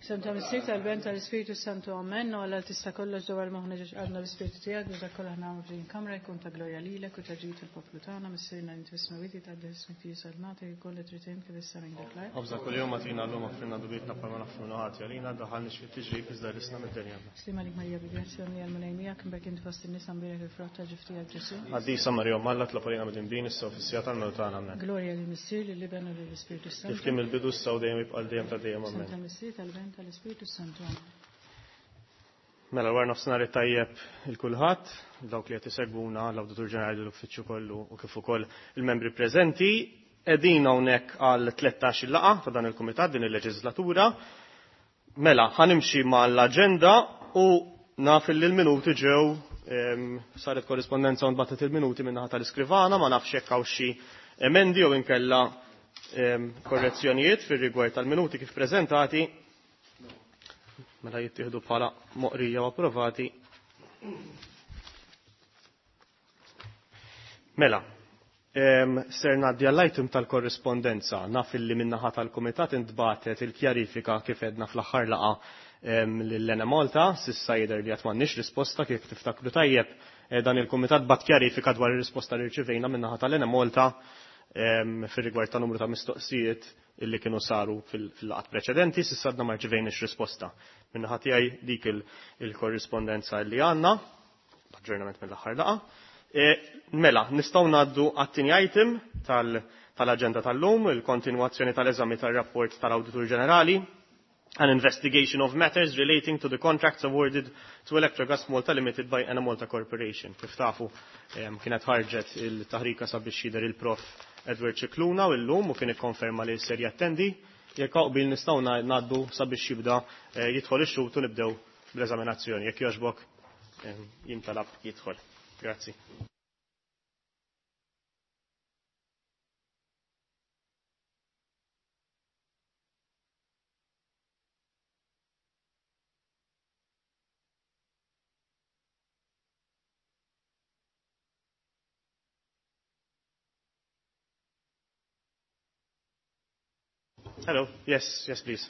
Sem ta' Missier tal-Ben tal-Ispiritu Santu Amen, u għalla tista' kollox dwar moħna ġiex għadna l-Ispiritu tiegħek biex dak kollha nagħmlu f'din kamra jkun ta' glorja lilek u ta' ġid il-poplu tagħna, Missierna li inti fis-smewwiet jitqaddes ismek tiġi salnata jkun li trid int kif issa minn dak l-art. Ħobża kuljum agħtina llum aħfrilna dnubietna bħalma naħfru ħati għalina, daħħalniex fit-tiġrib iżda ħlisna mid-dinja. Sliem għalik Marija bi grazzja mlija l-Mulej miegħek, imbierek inti fost in-nisa mbierek il-frott ta' ġuf tiegħek Ġesù. Qaddisa Marija Omm Alla tlob għalina midinbin issa u fis-siegħa tal-mewt tagħna. Amen. Glorja lill-Missier, lill-Iben u lill-Ispirtu Kif Santu. kien mill-bidu issa u dejjem jibqa' dejjem ta' dejjem. Sem Amen. tal-Missier, tal-Ben, tal-Ispirtu Santu. Amen. Mela wara nofsinhar it-tajjeb il kulħadd, dawk li qed isegwuna l-Awditur Ġenerali l-Uffiċċju kollu u kif ukoll il-membri preżenti. Qegħdin hawnhekk għal 13 laqgħa ta' dan il-kumitat din il-leġislatura. Mela, ħanimxi mal-aġenda u naf li l-minuti ġew saret korrispondenza u nbatet il-minuti min-naħa tal-iskrivana, ma nafx jekk hawn xi emendi jew inkella korrezzjonijiet fir-rigward tal-minuti kif preżentati. Mela jittieħdu bħala moqrija u approvati. Mela, ser ngħaddi għall-item tal-korrispondenza. Naf illi min-naħa tal-kumitat intbatet il-kjarifika kif edna fl-aħħar laqgħa lill-Enemalta, s'issa jidher li qatt m'għandniex risposta kif tiftakru tajjeb. Dan il-kumitat bat kjarifika dwar ir-risposta li rċivejna min-naħa tal-Enemalta fir-rigward ta' numru ta' mistoqsijiet illi kienu saru fil-laqgħat preċedenti, s'issa għadna ma rċivejniex risposta. Min-naħa tiegħi dik il-korrispondenza li għandna, aġġornament mill-aħħar laqgħa. Mela, nistgħu ngħaddu għat-tieni item tal-aġenda tal-lum, il-kontinwazzjoni tal-eżami tar-rapport tal-Awditur Ġenerali, an investigation of matters relating to the contracts awarded to Electrogas Malta Limited by Enemalta Corporation. Kif tafu, kienet ħarġet il-taħrika sabiex jidher il-prof Edward Scicluna u llum u kien ikkonferma li ser jattendi. Jekk qbil nistgħu ngħaddu sabiex jibda jidħol ix-xhud u nibdew bl-eżaminazzjoni. Jekk jogħġbok jintalab jidħol. Grazzi. Hello. Yes, yes, please.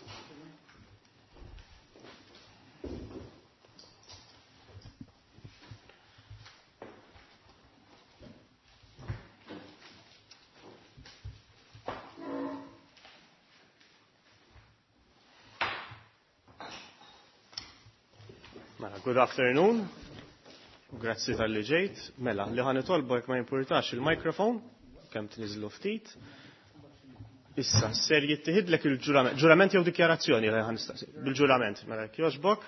Mela, good afternoon. Grazzi tal-li ġejt. Mela, li ħa nitolbu jekk ma jimpurtax il-mikrofon, kemm tniżlu ftit. Issa, ser jittieħidlek il-ġurament, ġurament jew dikjarazzjoni li ħa nistaqsi. Bil-ġurament, mela jekk jogħġbok.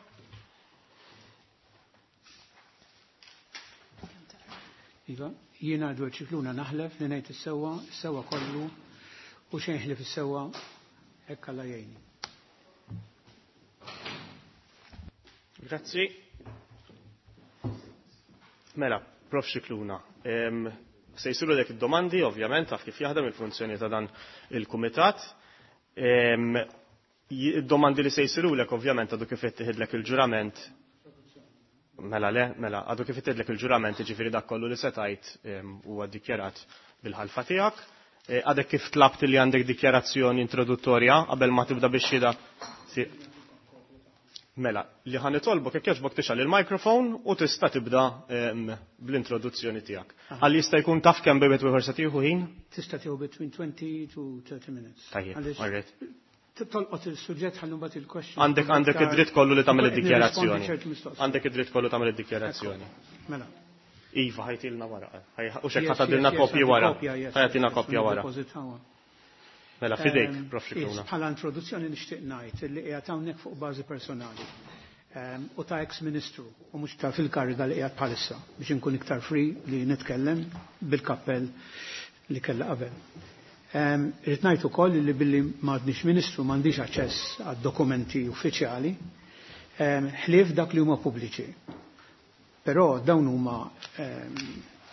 Iva, jiena Edward Scicluna naħlef li ngħid is-sewwa, is-sewwa kollu u xejn ħlief is-sewwa hekk Alla jgħinni. Grazzi. Mela, Prof Scicluna, se jsiru dek id-domandi, ovvjament, taf kif jaħdem il-funzjoni ta' dan il-kumitat. Id-domandi li se jsiru lek, ovvjament, għadu kif ittieħidlek il-ġurament. Mela le, mela, għadu kif ittieħidlek il-ġurament, jiġifieri dak kollu li se tgħid huwa ddikjarat bil-ħalfa tiegħek. Għadek kif tlabt li għandek dikjarazzjoni introduttorja qabel ma tibda biex xhieda. Mela, li ħa nitolbok jekk jogħġbok tixgħal il-mikrofon u tista' tibda bl-introduzzjoni tiegħek. Għal jista' jkun taf kemm bejn wieħed se tieħu ħin? Tista' tieħu between 20 to 30 minutes. Tajjeb, Għaliex all right. tolqot il-suġġett ħallu mbagħad il-question. Għandek id-dritt kollu li tagħmel Nirrispondi id-dikjarazzjoni. ċertu mistoqsijiet. Għandek id-dritt kollu tagħmel id-dikjarazzjoni. Ekku. Mela. Iva, ħajtilna wara. U xek Yes, ħatadilna yes, yes, kopji għandi wara. kopja, yes, Ħajatina yes, kopja wara. niddepożitawha. Mela, fidejk, Prof Scicluna. Bħala introduzzjoni nixtieq ngħid li qiegħed hawnhekk fuq bażi personali. U ta' ex-ministru u mhux ta' fil-kariga li qiegħed bħalissa biex inkun iktar free li nitkellem bil-kappell li kellha qabel. Irrid ngħid ukoll li billi m'għadniex ministru m'għandix aċċess għad-dokumenti uffiċjali, ħlief dak li huma pubbliċi. Però dawn huma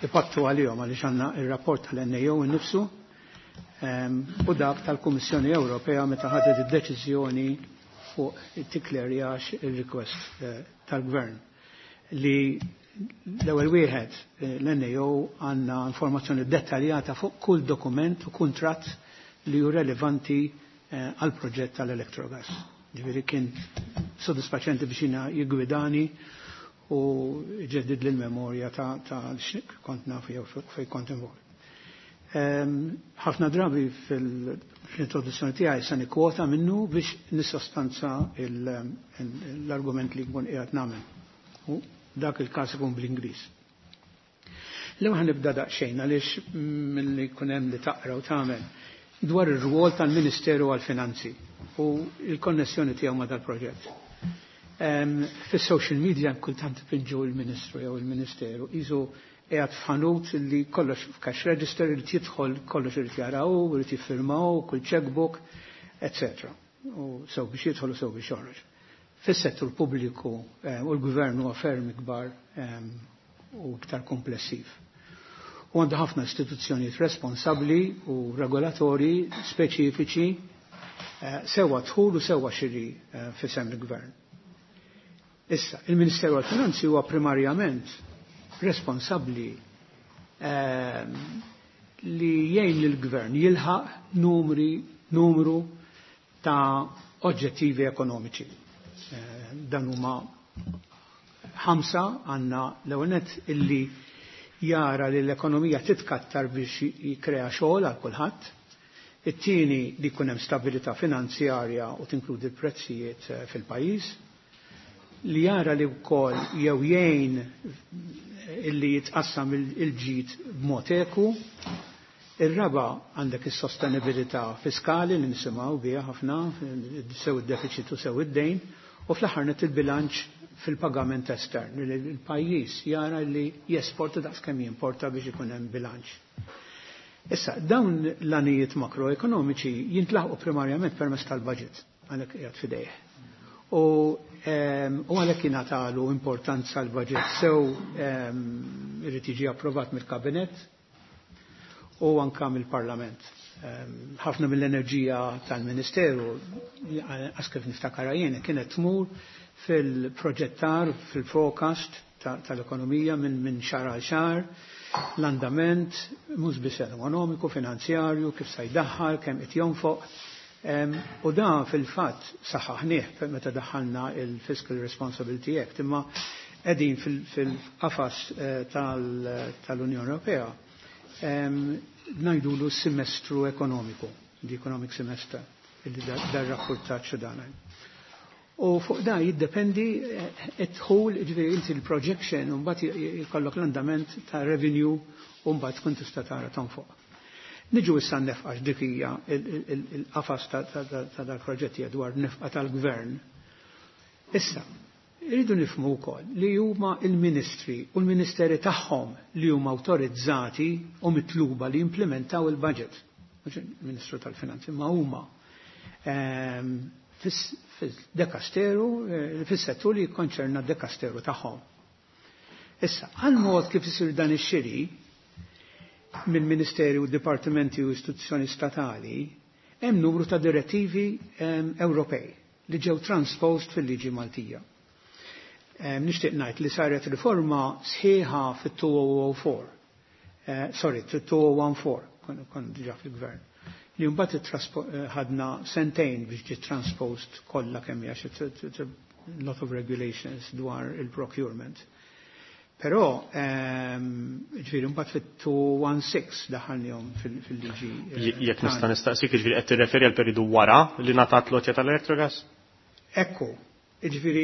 ipattu għalihom għaliex għandna ir-rapport tal-NAO innifsu, u dak tal-Kummissjoni Ewropea meta ħadet id-deċiżjoni fuq it-tiklerjax il-request tal-Gvern li l-ewwel wieħed l-NAO għandna informazzjoni dettaljata fuq kull dokument u kuntratt li hu relevanti għal proġett tal-Electrogas. Ġifieri kien sodisfaċenti biex jiena jiggwidani u ġeddid l-memorja ta' kont naf jew fejn kont involut. Ħafna drabi fil-introduzzjoni tiegħi se nikkwota minnu biex nissostanza l-argument li nkun qiegħed nagħmel. U dak il-każ ikun bl-Ingliż. L-ewwel ħanibda daqsxejn għaliex milli jkun hemm li taqra u tagħmel dwar ir-rwol tal-Ministeru għall-Finanzi u l-konnessjoni tiegħu ma' dal-proġett. Fis-social media kultant pinġu l-Ministru jew il-Ministeru isu qiegħed f'ħanut li kollox f'cash register irid jidħol kollox irid jaraw, irid jiffirmaw, kull checkbook, etc. U sew biex jidħol u sew biex joħroġ. Fis-settur pubbliku u l-gvern huwa ferm ikbar u iktar komplessiv. U għandu ħafna istituzzjonijiet responsabbli u regolatori speċifiċi sewa dħul u sewa xiri f'isem il-gvern. Issa, il-Ministeru għal-Finanzi huwa primarjament responsabbli li jgħin lill-gvern jilħaq numru ta' oġġettivi ekonomiċi. Dan huma 5 għandna l-ewwel nett illi jara li l-ekonomija titkattar biex jikrea xogħol għal kulħadd. It-tieni li jkun hemm stabilità finanzjarja u tinkludi l-prezzijiet fil-pajjiż. Li jara li wkoll jew jgħin illi jitqassam il-ġid b'mod eku. Ir-raba għandek is-sostenibilità fiskali li nisimgħu biha ħafna sew id-deficit u sew id-dejn, u fl-aħħar nett il-bilanċ fil-pagament estern, li l-pajjiż jara li jesporta daqs kemm jimporta biex ikun hemm bilanċ. Issa, dawn l-għanijiet makroekonomiċi jintlaħqu primarjament permezz tal-budget, għalhekk qiegħed f'idejh. U għalhekk jingħatalu importanza l-budget sew irid jiġi approvat mill-Kabinett u anka mill-Parlament. Ħafna mill-enerġija tal-Ministeru, għax kif niftakar jien, kienet tmur fil-proġettar, fil-forecast tal-ekonomija minn xahar għal xahar, l-andament, mhux biss ekonomiku, finanzjarju, kif se jdaħħal, kemm qed jonfoq. U dan fil-fatt saħaħnieh meta daħħalna il-Fiscal Responsibility Act, imma qegħdin fil-qafas tal-Unjoni Ewropea ngħidulu semestru ekonomiku, the economic semester, illi dar rapportaċ dan. U fuq da jiddependi id-dħul, ġifieri inti l-projection, u mbagħad jkollok l-andament ta' revenue u mbagħad tkun tista' tara tonfoq. Niġu issa n-nefqa dik hija il-qafas ta' dal-proġetti dwar nefqa tal-gvern. Issa, irridu nifhmu wkoll li huma il-ministri u l-ministeri tagħhom li huma awtorizzati u mitluba li jimplementaw il-budget. Mhux il-Ministru tal-Finanzi, ma huma fil-dekasteru, fis-settur li jikkonċerna d-dekasteru tagħhom. Issa, għal mod kif isir dan ix-xiri mill-Ministeri u Dipartimenti u istituzzjoni statali, hemm numru ta' direttivi Ewropej li ġew transposed fil-liġi Maltija. Nixtieq ngħid li saret riforma sħiħa fit-2004, sorry, fit-2014, kon diġà fil-gvern, li mbagħad ħadna sentejn biex ġiet transposed kollha kemm hija xi lot of regulations dwar il-procurement. Però, ġifieri mbagħad fit-216 daħalnihom fil-liġi. Jekk nista' nistaqsik, ġifieri qed tirreferi għal periodu wara li ngħatat l-għotja tal-Electrogas? Ekku, ġifieri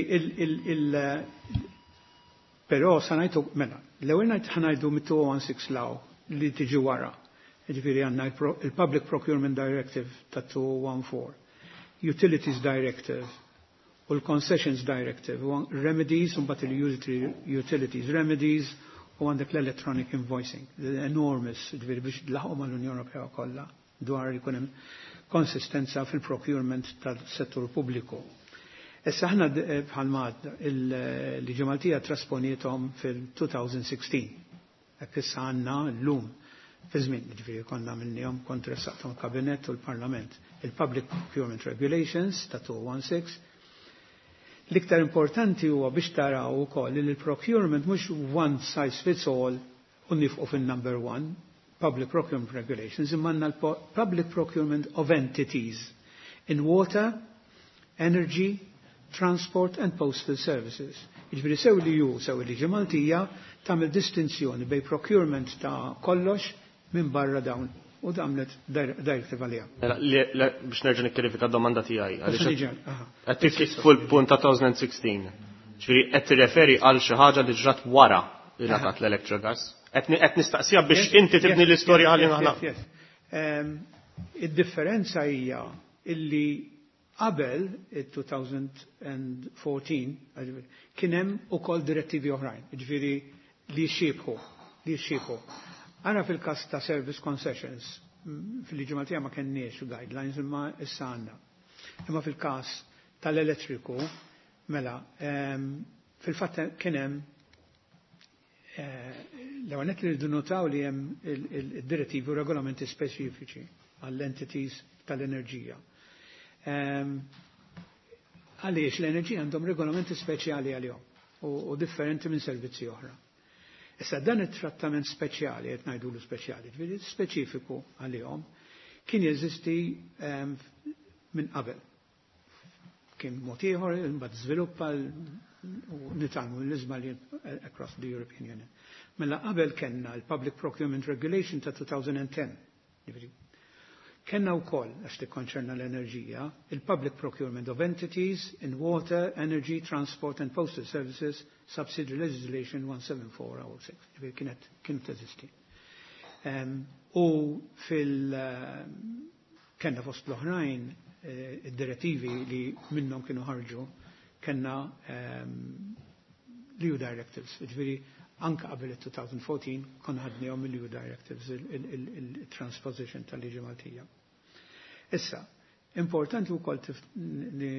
però sa ngħidu mela, l-ewwel ngħid ħanajdu mit-216 law li tiġi wara. Ġifieri għandna il-Public Procurement Directive ta' 2014, Utilities Directive u l-Concessions Directive, u Remedies, u mbagħad il-Utilities Remedies, u għandek l-Electronic Invoicing, enormous, ġifieri biex laħqu mal-Unjoni Ewropea kollha dwar jkun hemm konsistenza fil-procurement tal-settur pubbliku. Issa aħna bħalma il-liġi Maltija trasponietom fil-2016. Hekk issa għandna llum fi żmien, ġifieri konna minnihom kontra saqtom il-Kabinett u l-Parlament. Il-Public Procurement Regulations ta' 2016. L-iktar importanti huwa biex taraw ukoll li l-procurement mhux one size fits all u nifqu fin-number one, Public Procurement Regulations, imma għandna l-Public Procurement of Entities in Water, Energy, Transport and Postal Services. Jiġifieri sew li ju sew liġi Maltija tagħmel distinzjoni bejn procurement ta' kollox minn barra dawn u għamlet directive għalija. Mela, biex nerġa' nikkjarifika d-domanda tiegħi. Qed fuq il-punt ta' 2016. Ġifieri qed tirreferi għal xi ħaġa li ġrat wara li ngħatat l-Electrogas. Qed nistaqsija biex inti tibni l-istorja ħalli aħna. Id-differenza hija illi qabel il-2014 kien hemm ukoll direttivi oħrajn, jiġifieri li xibħu, li xibħu. Ara fil-każ ta' service concessions, fil-liġi Maltija ma kenniex guidelines imma issa għandna. Imma fil-każ tal-elettriku, mela, fil-fatt kien hemm l-ewwel li rridu notaw li hemm il-direttivi u regolamenti speċifiċi għall-entities tal-enerġija. Għaliex l-enerġija għandhom regolamenti speċjali għalihom u differenti minn servizzi oħra. Issa dan it-trattament speċjali, qed ngħidulu speċjali, ġifieri speċifiku għalihom, kien jeżisti minn qabel. Kien mod ieħor, imbagħad żviluppa u nitgħallmu l-iżbalji across the European Union. Mela qabel kellna l-Public Procurement Regulation ta' 2010. Ġifieri, Kenna wkoll, għax tikkonċerna l-enerġija, il-Public Procurement of Entities in Water, Energy, Transport and Postal Services Subsidiary Legislation 17406. Ġifieri kienet kienet teżisti. U fil kenna fost l-oħrajn id-direttivi li minnhom kienu ħarġu kenna l-EU Directives, ġifieri anka qabel il-2014 konna ħadnihom mill-EU Directives il-transposition tal-liġi Maltija. Issa, importanti wkoll li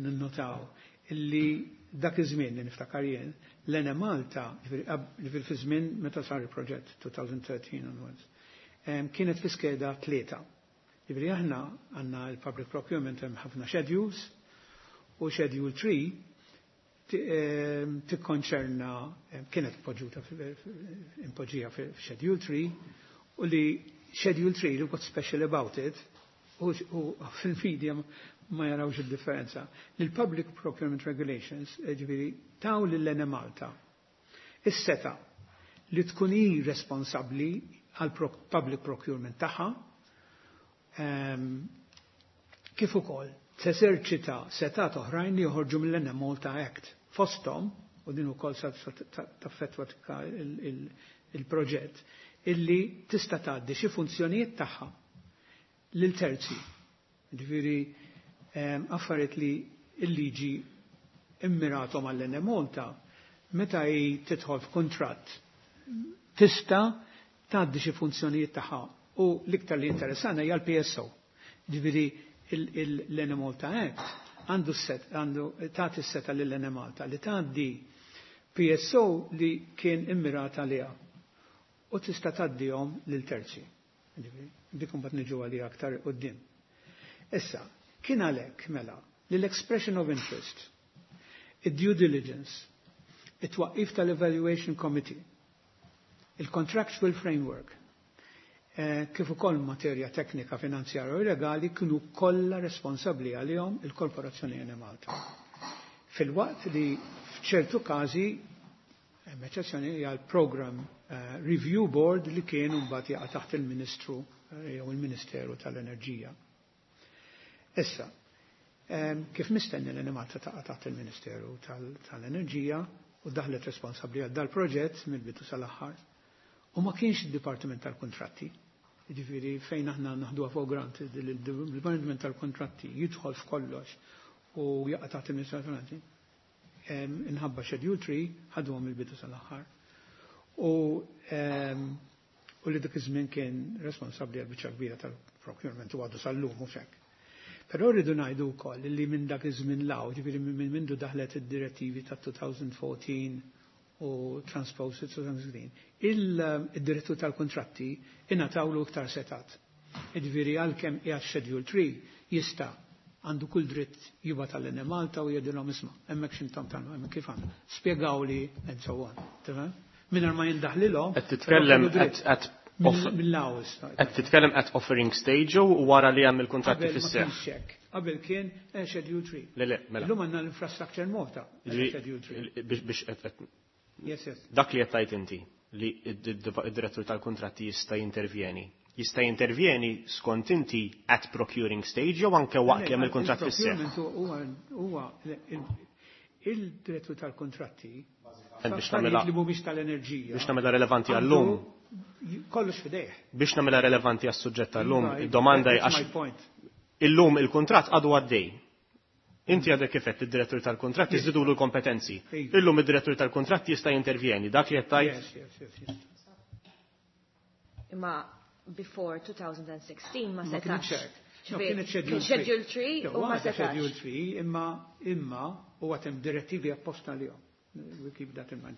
ninnotaw illi dak iż-żmien li niftakar jien, l-Enemalta, ġifieri fi żmien meta sar il-proġett 2013 onwards, kienet fi skeda 3. Ġifieri aħna għandna l-public procurement hemm ħafna schedules u schedule 3 tikkonċerna kienet poġġuta impoġġija f'Schedule 3 u li Schedule 3 li what's special about it u fil-media ma jarawx il-differenza. Li l-Public Procurement Regulations ġifieri taw lil Enemalta is-seta li tkun hi responsabbli għal public procurement tagħha kif ukoll teżerċita setat oħrajn li joħorġu mill-Enemalta Act. Fosthom, u din ukoll sa taffettwa il-proġett, illi tista' tgħaddi xi funzjonijiet tagħha lil terzi. Ġifieri affarijiet li l-liġi immiratom għall-Enemalta, meta hi tidħol f'kuntratt tista' tgħaddi xi funzjonijiet tagħha u l-iktar li interessana hija l-PSO. Ġifieri l-Enemalta Act għandu set, għandu tagħti s-seta lill-Enemalta li tgħaddi PSO li kien immirata għaliha u tista' tgħaddihom lil terzi. Ġifieri, dik imbagħad niġu għaliha aktar quddiem. Issa, kien għalhekk mela li l-expression of interest, id-due diligence, it-twaqqif tal-Evaluation Committee, il-Contractual Framework, kif ukoll materja teknika, finanzjarja u legali kienu kollha responsabbli għalihom il-Korporazzjoni Enemalta. Fil-waqt li f'ċertu każi hemm eċċezzjoni hija l-Program Review Board li kien mbagħad jaqa' taħt il-Ministru jew il-Ministeru tal-Enerġija. Issa, kif mistenni l-Enemalta taqa' taħt il-Ministeru tal-Enerġija u daħlet responsabbli għal dal-proġett mill-bidu sal-aħħar. U ma kienx id-Dipartiment tal-Kontratti. Ġifieri fejn aħna naħduha for granted il-Dipartiment tal-Kontratti jidħol f'kollox u jaqa' taħt il-Ministeru tal-Finanzi. Inħabba Schedule 3 ħaduhom il-bidu sal-aħħar. U li dik iż-żmien kien responsabbli għal biċċa kbira tal-procurement u għadu sal-lum mhux hekk. Però rridu ngħidu wkoll li minn dak iż-żmien law, ġifieri minn mindu daħlet id-direttivi ta' 2014 u transposed 2016, il-direttur tal-kontratti ingħatawlu iktar setat. Ġifieri għalkemm qiegħed Schedule 3 jista' għandu kull dritt jibgħat għall-Enemalta u jgħidilhom isma' hemmhekk x'intom tagħmlu, hemmhekk kif għandu. Spjegawli and so on. Tifhem? Mingħajr ma jindaħlilhom. Qed titkellem qed mill-laws. Qed titkellem at offering stage u wara li hemm il-kuntratti Qabel ma fis-seħħ. kienx hekk. Qabel kien Schedule 3. Le, le, mela. Illum għandna l-Infrastructure Malta Schedule 3. Biex Yes. Dak li qed tgħid inti li id-direttur tal-kontratti jista' jintervjeni. Jista' jintervjeni skont inti at procuring stage jew anke waqt li hemm il-kuntratt fis-seħħ. Huwa il-direttur tal-kontratti Biex nagħmilha li mhumiex tal-enerġija. Biex nagħmilha relevanti għallum. Kollox fidejh. Biex nagħmilha relevanti għas-suġġett tal-lum, id-domanda għax illum il-kuntratt għadu għaddej. Inti għadek kif għedt id-direttur tal-kuntratt jiżdidulu l-kompetenzi. Illum id-direttur tal-kuntratt jista' jintervjeni, dak li qed tgħid. Imma before 2016 ma setax. Kienet Schedule 3 u ma setax. Schedule 3 imma u għatem direttivi apposta li We keep that in mind.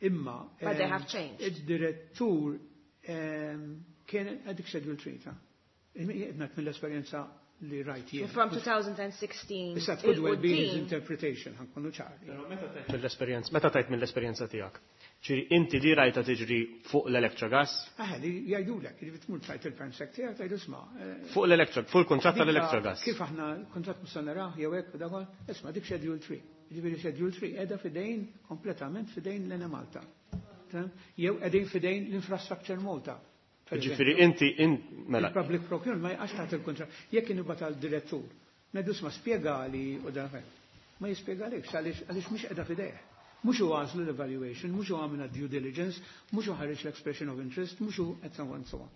Imma But they have changed. Id-direttur kien għadik Schedule 3 ta' Jgħidnak mill-esperjenza li rajt jien. From 2016. Issa could well be his interpretation, ħa nkunu ċari. Mill-esperjenza, meta tajt mill-esperjenza tiegħek? Ġifieri inti li rajta tiġri fuq l-Electrogas? Ah, li jgħidulek, li tmur tajt il-perm sec tiegħek tgħidu isma'. Fuq l-Electro, fuq il-kuntratt tal-Electrogas. Kif aħna l-kuntratt mhux se narah jew hekk u dakol, isma' dik Schedule 3. Ġifieri Schedule 3 qiegħda fidejn kompletament fidejn l-Enemalta. Jew qegħdin fidejn l-Infrastructure Malta. Ġifieri inti mela. Il-public procurement ma jaqax taħt il-kuntratt. Jekk inibgħat għal direttur, ngħidu isma' spjegali u dan ma jispjegalekx għaliex mhix qiegħda fidejh. Mhux hu għażlu l-evaluation, mhux hu għamilha due diligence, mhux hu ħareġ l-expression of interest, mhux hu and so on and so on.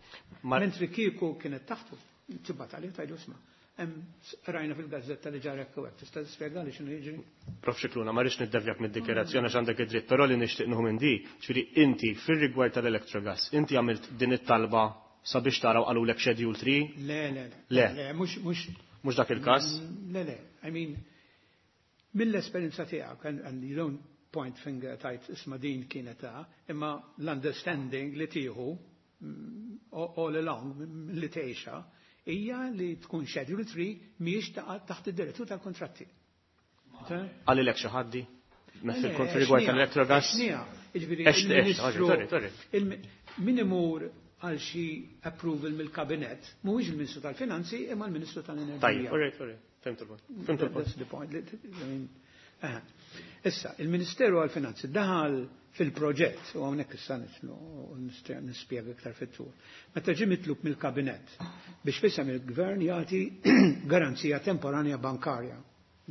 Mentri kieku kienet taħtu, tibgħat għalih tgħidu isma'. Rajna fil-gazzetta li ġara hekk u hekk, tista' tispjegali x'inhu jiġri? Prof Scicluna, ma rridx niddevjak mid-dikjerazzjoni għax għandek id-dritt, però li nixtieq nieħu minn di, ġifieri inti fir-rigward tal-Electrogas, inti għamilt din it-talba sabiex taraw qalulek Schedule 3? Le, le, le. Le. Le, mhux, mhux. Mhux dak il-każ? Le, le. I mean, mill-esperjenza tiegħek, and you don't point finger tajt isma' din kienet ta' imma l-understanding li tieħu all along li tgħixha hija li tkun Schedule 3 mhijiex taħt id-direttur tal-kontratti. Qalilek xi ħaddi? Fil-rigward tal-Electrogas? Jiġifieri sorry, sorry. Min imur għal xi approval mill-kabinett mhuwiex il-Ministru tal-Finanzi imma l-Ministru tal-Enerġija. Tajjeb, all right, all right. Fhimt il-punt. Fhimt il-punt. That's the point. Issa, il-Ministeru għal-Finanzi daħal fil-proġett, u hawnhekk issa nitlu u nispjega iktar fit-tul. Meta ġie mitlub mill-kabinett biex fisem il-gvern jagħti garanzija temporanja bankarja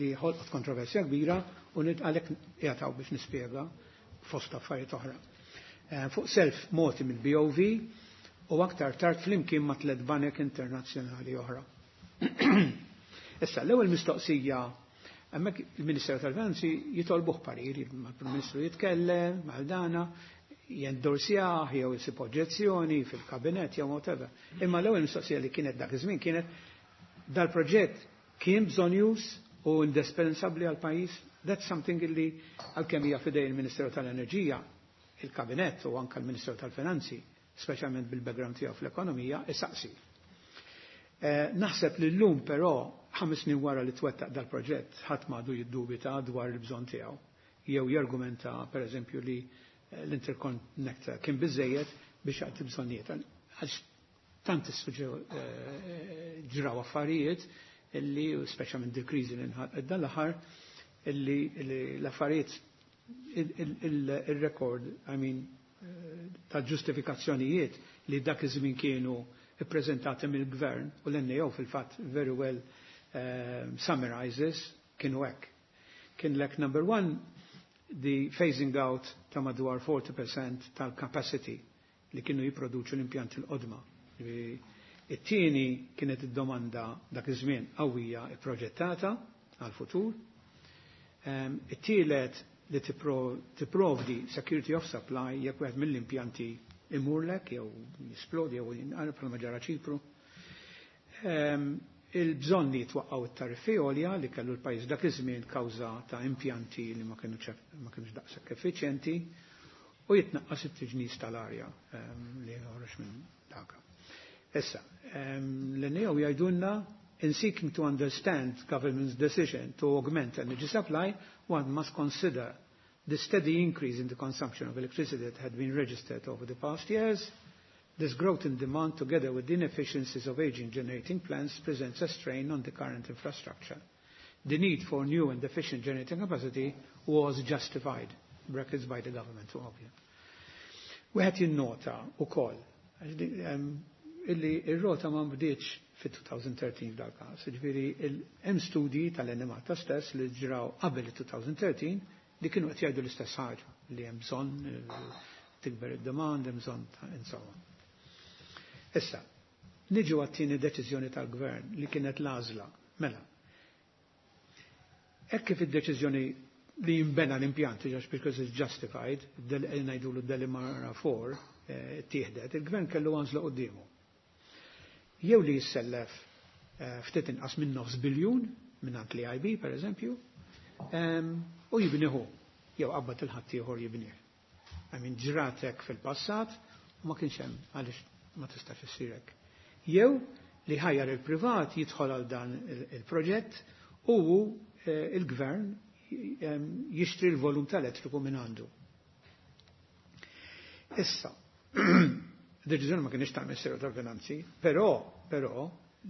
li ħolqot kontroversja kbira u għalhekk jagħtaw biex nispjega fost affarijiet oħra. Fuq self moti mill-BOV u aktar tard flimkien ma' tliet banek internazzjonali oħra. Issa, l-ewwel mistoqsija, hemmhekk il-Ministeru tal-Finanzi jitolbuh parir, mal-Prim Ministru jitkellem, mal-dana, jendorsjah jew isib oġġezzjoni fil-kabinett jew whatever. Imma l-ewwel mistoqsija li kienet dak iż-żmien kienet dal-proġett kien bżonjuż u indispensabbli għal pajjiż. That's something li għalkemm hija fidej il-Ministeru tal-Enerġija, il-Kabinett u anke l-Ministeru tal-Finanzi, speċjalment bil-background tiegħu fl-ekonomija, isaqsi. Naħseb li llum però 5 snin wara li twettaq dal-proġett ħadd m'għadu jiddubita dwar il-bżonn tiegħu. Jew jargumenta pereżempju li l-interconnector kien biżejjed biex jagħti bżonnijiet. Għax tant ġraw affarijiet illi, speċjalment dil-kriżi li nħalqet dan l-aħħar, illi l-affarijiet il-rekord, I mean, ta' ġustifikazzjonijiet li dak iż-żmien kienu ippreżentati mill-gvern u l-NAO fil-fatt very well summarizes kienu hekk. Kien lek number one, the phasing out ta' madwar 40% tal-capacity li kienu jipproduċu l-impjanti l-qodma. It-tieni kienet id-domanda dak iż-żmien qawwija ipproġettata għal-futur. It-tielet li tipprovdi security of supply jekk wieħed mill-impjanti imurlek jew jisplodi jew jinqaleb bħalma ġara Ċipru. Il-bżonn li jitwaqqgħu it-tariffi għolja li kellu l-pajjiż dak iż-żmien kawża ta' impjanti li ma kinux daqshekk effiċjenti u jitnaqqas it-tiġnis tal-arja li joħroġ minn dak. Issa, l-NAO jgħidulna in seeking to understand government's decision to augment energy supply, one must consider the steady increase in the consumption of electricity that had been registered over the past years. This growth in demand, together with the inefficiencies of aging generating plants, presents a strain on the current infrastructure. The need for new and efficient generating capacity was justified, brackets by the government, ovvio. Wieħed jinnota wkoll illi ir-rota ma nbdietx fit-2013 f'dal-każ. Ġifieri hemm studji tal-Enemalta stess li ġraw qabel il-2013 li kienu qed jgħidu l-istess ħaġa li hemm bżonn tikber id-demand, hemm bżonn insomma. Issa, niġu għat-tieni deċiżjoni tal-gvern li kienet l-għażla. Mela, hekk kif id-deċiżjoni li jimbena l-impjant, just because it's justified, ngħidulu Delimara 4, tieħdet, il-gvern kellu għażla quddiemu. Jew li jissellef ftit inqas minn nofs biljun minn l-EIB, per eżempju, u jibniħu, jew qabbad il-ħadd ieħor jibnih. I mean, ġratek fil-passat u ma kienx hemm għaliex ma tistax issir hekk. Jew li ħajjar il-privat jidħol għal dan il-proġett u il-gvern jixtri l-volum tal-elettriku minn għandu. Issa, deċiżjoni ma kienx tal-Ministeru tal-Finanzi, però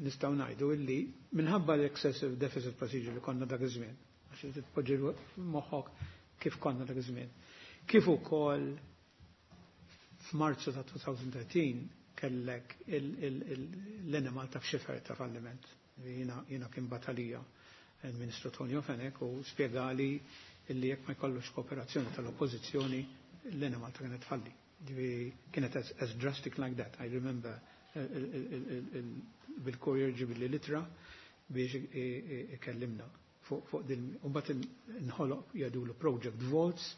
nistgħu ngħidu illi minħabba l-excessive deficit procedure li konna dak iż-żmien, għax titpoġġi moħħok kif konna dak iż-żmien, kif ukoll f'Marzu ta' 2013 kellek l-Enemalta f'xifer ta' falliment. Jiena kien batalija il-Ministru Tonio Fenech u spiegali illi jekk ma jkollux kooperazzjoni tal-oppożizzjoni l-Enemalta kienet falli. Ġifieri kienet as drastic like that. I remember bil-courier ġibli l-ittra biex ikellimna fuq din. U mbagħad inħoloq jgħidulu Project Vaults,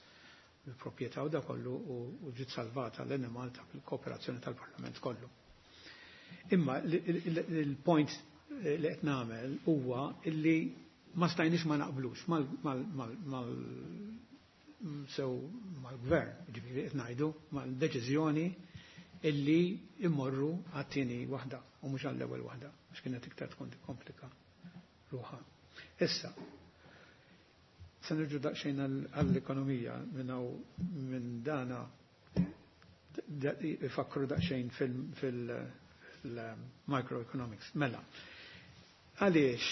il-proprjetà u da kollu u ġiet salvata l-Enemalta bil-kooperazzjoni tal-Parlament kollu. Imma il-point li qed nagħmel huwa illi ma stajniex ma naqblux mal sew mal-gvern, ġifieri qed ngħidu, mal-deċiżjoni illi immorru għat-tieni waħda u mhux għall-ewwel waħda, għax kienet iktar tkun tikkomplika ruħha. Issa, se nirġu daqsxejn għall-ekonomija minn minn dana ifakru daqsxejn fil-microeconomics. Mela, għaliex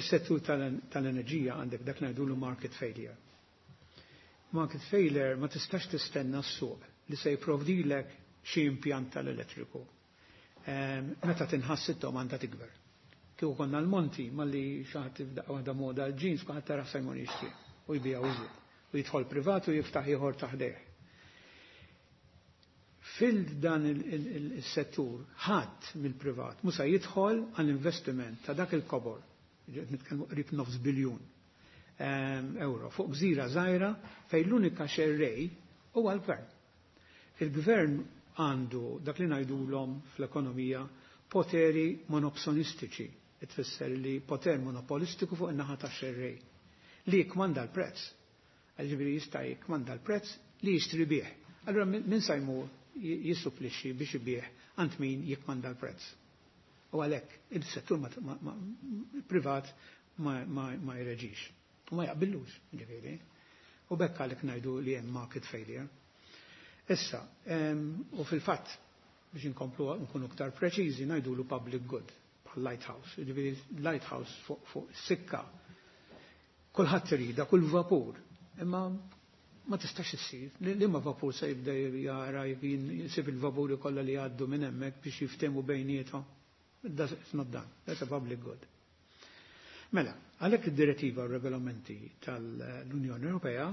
is-settur tal-enerġija għandek dak ngħidulu market failure. Market failure ma tistax tistenna s-suq li se jipprovdilek xi impjant tal-elettriku. Meta tinħass id-domanda tikber. Kieku konna l-monti malli xi ħadd f'daqqa waħda moda l-jeans kulħadd tara se jmur jixtri u jbija iżjed. U jidħol privat u jiftaħ ieħor taħdejh. Fil-dan il-settur ħadd mill-privat musa jidħol għall investiment ta' dak il-kobor, nitkellmu qrib nofs biljun euro, fuq gżira żgħira fejn l-unika xerrej huwa l-gvern. Il-gvern għandu dak li ngħidulhom fl-ekonomija poteri monopsonistiċi, tfisser li poter monopolistiku fuq in-naħa ta' xerrej li jikmanda l-prezz. Ġifieri jista' jikmanda l-prezz li jixtri bih. Allura min sa jmur jissupplixxi biex ibih għand min jikmanda l-prezz. U għalhekk il-settur privat ma jreġix. U ma jaqbillux, ġifieri. U bekk għalhekk ngħidu li hemm market failure. Issa, u fil-fatt, biex inkomplu nkunu iktar preċiżi, ngħidulu public good, bħal lighthouse. Ġifieri lighthouse fuq sikka. Kulħadd irida, kull vapur. Imma ma tistax issir. Li ma vapur se jibda jara jisib il-vapuri kollha li jgħaddu minn hemmhekk biex jiftehmu bejniethom. It's not done. That's a public good. Mela, għalhekk id-direttiva u regolamenti tal-Unjoni Ewropea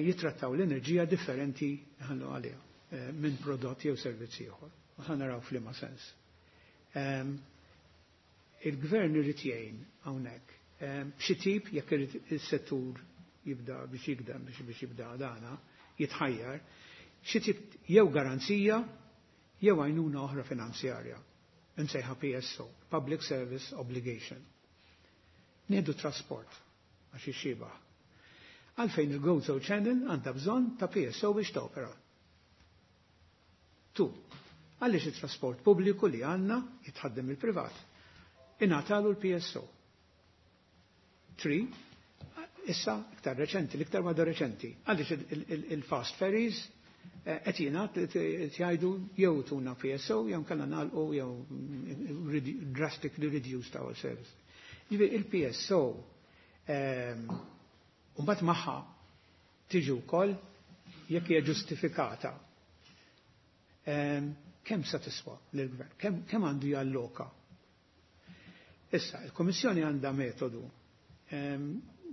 jitrattaw l-enerġija differenti ħallu għaliha minn prodott jew servizzi ieħor. U ħa naraw f'liema sens. Il-gvern irid jgħin hawnhekk b'xi tip jekk irid is-settur jibda biex jikdem biex jibda dana jitħajjar xi tip jew garanzija jew għajnuna oħra finanzjarja. Insejħa PSO, Public Service Obligation. Nieħdu trasport għax ixxibaħ. Għalfejn il-Gozo Channel għandha bżonn ta' PSO biex topera. Tu, għaliex il-trasport pubbliku li għandna jitħaddem il-privat. Ingħatalu l-PSO. 3, issa iktar reċenti, l-iktar waħda reċenti, għaliex il-fast ferries Qed jingħad qed jgħidu jew tuna PSO jew kellna nagħlqu jew drastically reduced our service. Ġifieri il-PSO mbagħad magħha tiġi wkoll jekk hija ġustifikata. Kemm sa tiswa lill-gvern? Kemm għandu jalloka? Issa, il-Komissjoni għandha metodu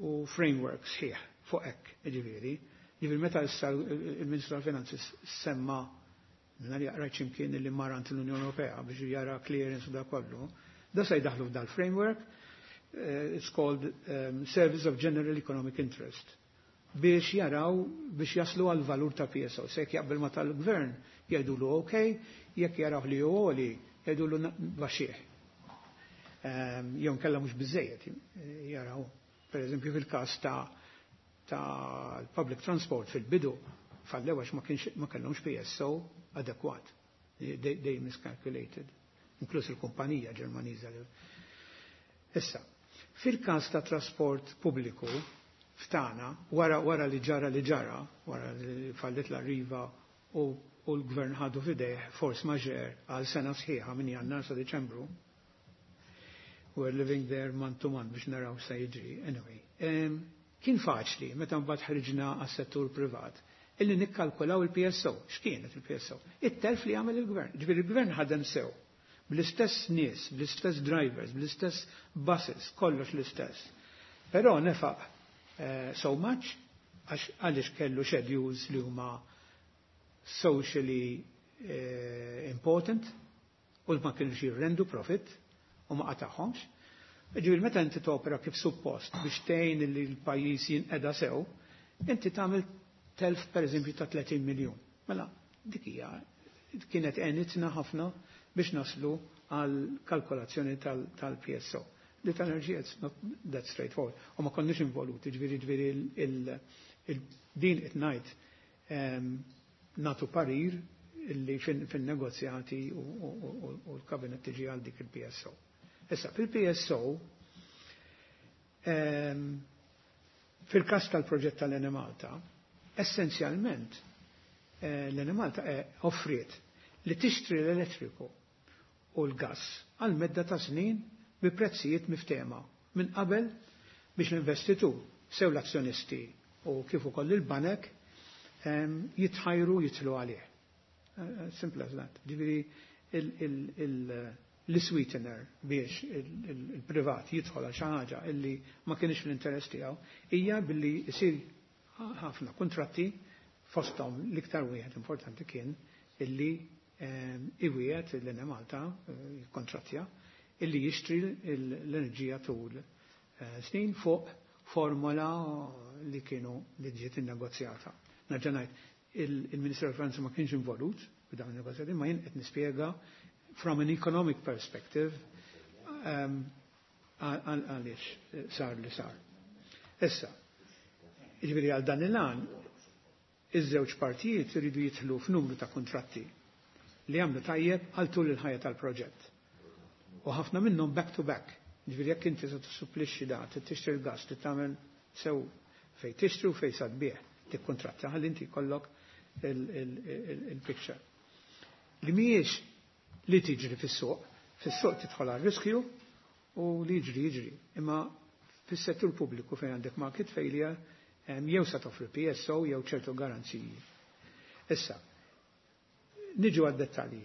u framework sħiħ fuq hekk, ġifieri. Ġifieri meta issa il-Ministru tal-Finanzi semma minna li rajt x'imkien li mar għand l-Unjoni Ewropea biex jara clearance u da kollu, da se jdaħlu f'dal-framework, it's called Service of General Economic Interest, biex jaraw, biex jaslu għal valur ta' PSO. Se jekk jaqbel ma tal-gvern, jgħidulu ok, jekk jaraw li għoli, jgħidulu baxxih. Jew nkella mhux biżejjed jaraw. Per eżempju fil-każ ta' public transport fil-bidu fallew għax ma kellhomx PSO adekwat. They miscalculated. Inkluż il-kumpanija Ġermaniża. Issa, fil-każ ta' trasport pubbliku ftana, wara li ġara li ġara, wara li fallit l-Arriva u l-gvern ħadu fidejh force majeure għal sena sħiħa minn Jannar sa Deċembru. We're living there month to month biex naraw sa jiġri. Anyway, kien faċli meta mbagħad ħriġna għas-settur privat illi nikkalkulaw il-PSO. X'kienet il-PSO? It-telf li għamel il-gvern. Ġifieri il-gvern ħadem sew. Bl-istess nies, bl-istess drivers, bl-istess buses, kollox l-istess. Però nefaq so much għax għaliex kellu schedules li huma socially important u ma kienux jirrendu profit u ma qatagħhomx. Ġifieri meta inti topera kif suppost biex tgħin li l-pajjiż jinqeda sew, inti tagħmel telf pereżempju ta' 30 miljun. Mela dik hija kienet għenitna ħafna biex naslu għal kalkolazzjoni tal-PSO. Li tal-enerġija it's not that straightforward. U ma konniex involuti, ġifieri din qed ngħid natu parir illi fin-negozjati u l-kabinet tiġi għal dik il-PSO. Issa, fil-PSO, fil-kas tal-proġett tal-Enemalta, essenzjalment l-Enemalta offriet li tixtri l-elettriku u l-gas għal medda ta' snin bi prezzijiet miftema minn qabel biex l-investitur, sew l-azzjonisti u kif ukoll il-banek jitħajru jitlu għalih. Simple as that. Ġifieri l-sweetener biex il-privat jidħol għal xi ħaġa illi ma kienx fl-interess tiegħu hija billi jsir ħafna kontratti, fosthom l-iktar wieħed importanti kien illi iwiegħed l-Enemalta jikkontrattja illi jixtri l-enerġija tul snin fuq formola li kienu li ġiet innegozjata. Nerġa' ngħid, il-Ministeru tal-Finanzi ma kienx involut f'dawn il-negozjati, ma jien qed nispjega from an economic perspective għaliex sar li sar. Issa, ġifieri għal dan il-għan, iż-żewġ partijiet iridu jidħlu f'numru ta' kontratti li jagħmlu tajjeb għal tul il-ħajja tal-proġett. U ħafna minnhom back to back. Ġifieri jekk inti se tissupplixxi da, tixtri l-gas, tagħmel sew fej tixtri u fej sa tbigħ, tikkontratta ħalli inti jkollok il-picture. Li mhijiex li tiġri fis-suq, fis-suq tidħol għal riskju u li jiġri jiġri. Imma fis-settur pubbliku fejn għandek market failure, jew sa toffri PSO jew ċertu garanziji. Issa, niġu għad-dettalji.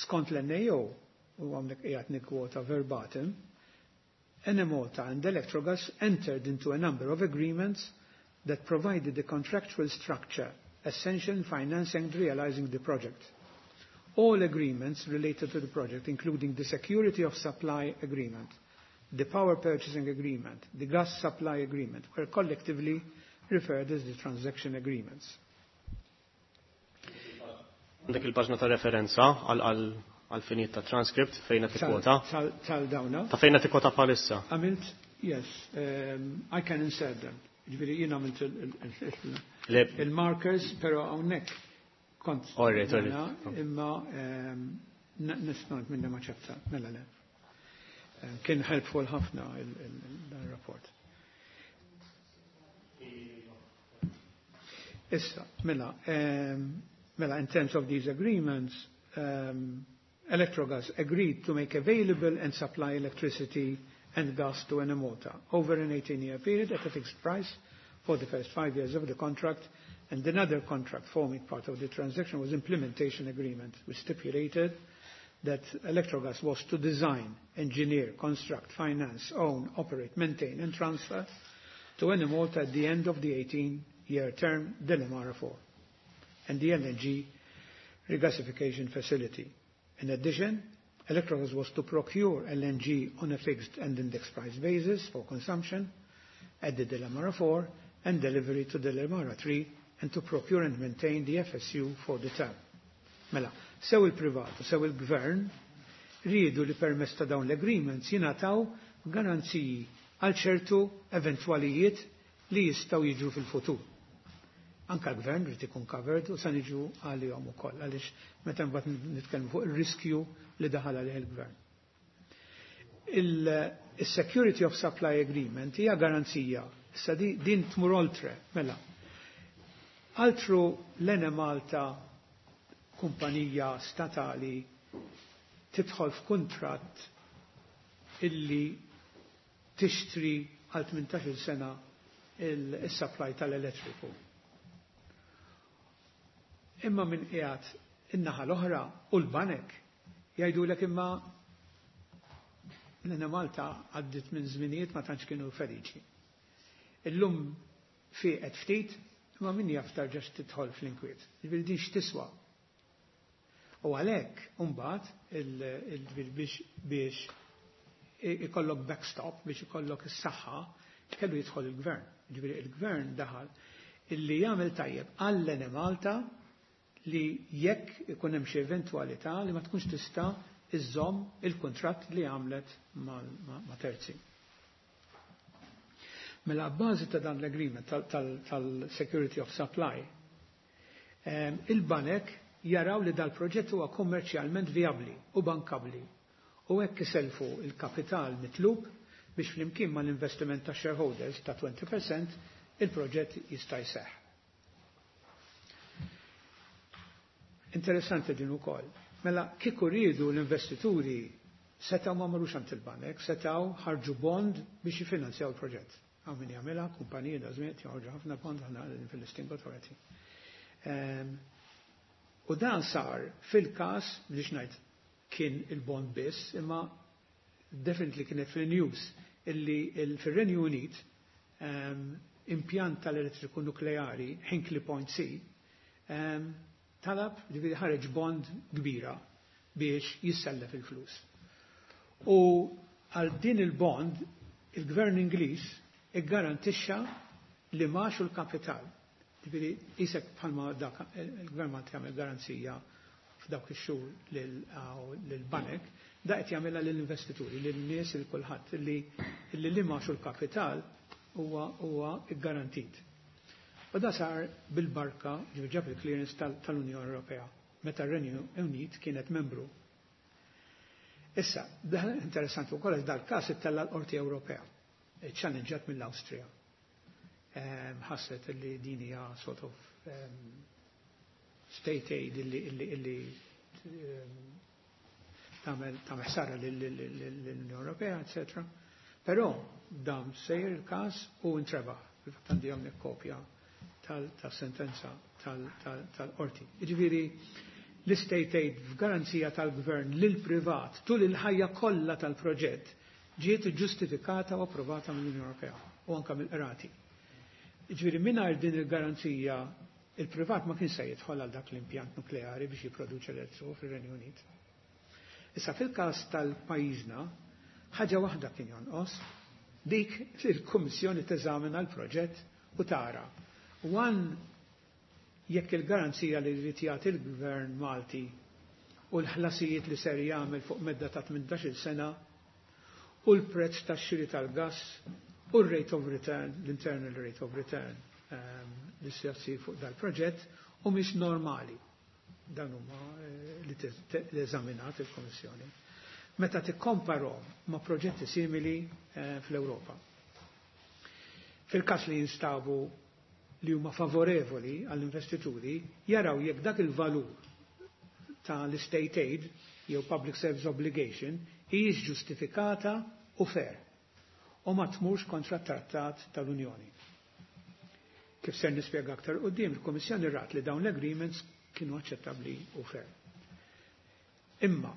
Skont l-NAO, u għamlek qiegħed nikkwota verbatim, Enemalta and Electrogas entered into a number of agreements that provided the contractual structure essential in financing and realizing the project. All agreements related to the project, including the security of supply agreement, the power purchasing agreement, the gas supply agreement, were collectively referred as the transaction agreements. Għandek il-paġna ta' referenza għal finijiet ta' transcript fejn qed tikkwota. Tal-dawna. Ta' fejn qed tikkwota bħalissa. Għamilt, yes, I can insert them. Ġifieri jien għamilt il-markers, pero hawnhekk kont. All right. Imma nista' minna ma ċefta, mela le. Kien helpful ħafna il-rapport. Issa, mela, mela, in terms of these agreements, Electrogas agreed to make available and supply electricity and gas to Enemalta over an 18-year period at a fixed price for the first 5 years of the contract, and another contract forming part of the transaction was implementation agreement, which stipulated that Electrogas was to design, engineer, construct, finance, own, operate, maintain, and transfer to Enemalta at the end of the 18-year term, Delimara 4, and the LNG regasification facility. In addition, Electrogas was to procure LNG on a fixed and index price basis for consumption at the Delimara 4 and delivery to Delimara 3 and to procure and maintain the FSU for the term. Mela, sew il-privat u sew il-gvern riedu li permezz ta' dawn l-agreements jingħataw garanziji għal ċertu eventwalijiet li jistgħu jiġru fil-futur. Anka l-gvern rrid ikun covered u sa niġu għalihom ukoll għaliex meta mbagħad nitkellmu fuq ir-riskju li daħal għalih il-gvern. Il-Security of Supply Agreement hija garanzija. Issa din tmur oltre, mela. Altru l-Enemalta, kumpanija statali, tidħol f'kuntratt illi tixtri għal 18 sena il-supply tal-elettriku. Imma minn qiegħed in-naħa l-oħra u l-banek jgħidulek imma l-Enemalta għaddit minn żminijiet ma tantx kienu feliċi. Illum fiqet ftit, imma min jaf tarġax tidħol fl-inkwiet. Ġifieri din x'tiswa. U għalhekk imbagħad biex ikollok backstop, biex ikollok is-saħħa, kellu jidħol il-gvern. Ġifieri il-gvern daħal illi jagħmel tajjeb għall-Enemalta li jekk ikun hemm xi eventwalità li ma tkunx tista' iżżomm il-kuntratt li għamlet ma' terzi. Mela bbażi ta' dan l-agreement tal-Security of Supply, il-banek jaraw li dal-proġett huwa kommerċjalment viabli u bankabli u hekk iselfu il-kapital mitlub biex flimkien mal-investiment ta' shareholders ta' 20% il-proġett jista' jseħħ. Interessanti din ukoll. Mela kieku riedu l-investituri setgħu ma marrux għand il-banek, setgħu ħarġu bond biex jifinanzjaw il-proġett. Hawn min jagħmilha, kumpaniji da żmien joħorġu ħafna bond aħna fil-Listing Authority. U dan sar fil-każ, biex ngħid kien il-bond biss, imma definitely kienet fil-news illi fir-Renju Unit impjant tal-elettriku nukleari Hinkley Point C talab, ġifieri ħareġ bond kbira biex jissellef il-flus. U għal din il-bond il-gvern Ingliż iggarantixxa li max u l-kapital. Ġifieri isek bħalma dak il-gvern Malti jagħmel garanzija f'dawk ix-xhur lill-banek, da qed jagħmilha lill-investituri, lin-nies, il kulħadd li li max u l-kapital huwa ggarantit. U da sar bil-barka, ġifieri ġab il-clearance tal-Unjoni Ewropea, meta r-Renju Unit kienet membru. Issa, dan interessanti wkoll għax dal-każ ittella' l-Qorti Ewropea, challenged mill-Awstrija. Ħasset li din hija sort of state aid illi tagħmel ħsara lill-Unjoni Ewropea, eccetera. Però dam sejjer il-każ u intrebaħ. Fil-fatt għandi hawnhekk kopja tal-sentenza tal-qorti. Jiġifieri l-state aid f'garanzija tal-gvern lil privat tul il-ħajja kollha tal-proġett ġiet ġustifikata u approvata mill-Unjoni Ewropea u anke mill-qrati. Jiġifieri mingħajr din il-garanzija il-privat ma kien se jidħol għal dak l-impjant nukleari biex jipproduċi elettriku fir-Renju Unit. Issa fil-każ tal-pajjiżna ħaġa waħda kien jonqos, dik li l-Kummissjoni teżamina l-proġett u tara. One, jekk il-garanzija li jrid jagħti il-Gvern Malti u l-ħlasijiet li ser jagħmel fuq medda ta' 18-il sena u l-prezz tax-xiri tal-gass u r-rate of return, l-internal rate of return li se jsir fuq dal-proġett u mhix normali. Dan huma li eżaminat il-Kommissjoni. Meta tikkomparhom ma' proġetti simili fl-Ewropa. Fil-każ li jinstabu li huma favorevoli għall-investituri jaraw jekk dak il-valur tal-state aid jew public service obligation hijiex ġustifikata u fair u ma tmurx kontra t-trattat tal-Unjoni. Kif ser nispjega aktar quddiem, il-Kummissjoni rat li dawn l-agreements kienu aċċettabbli u fair. Imma,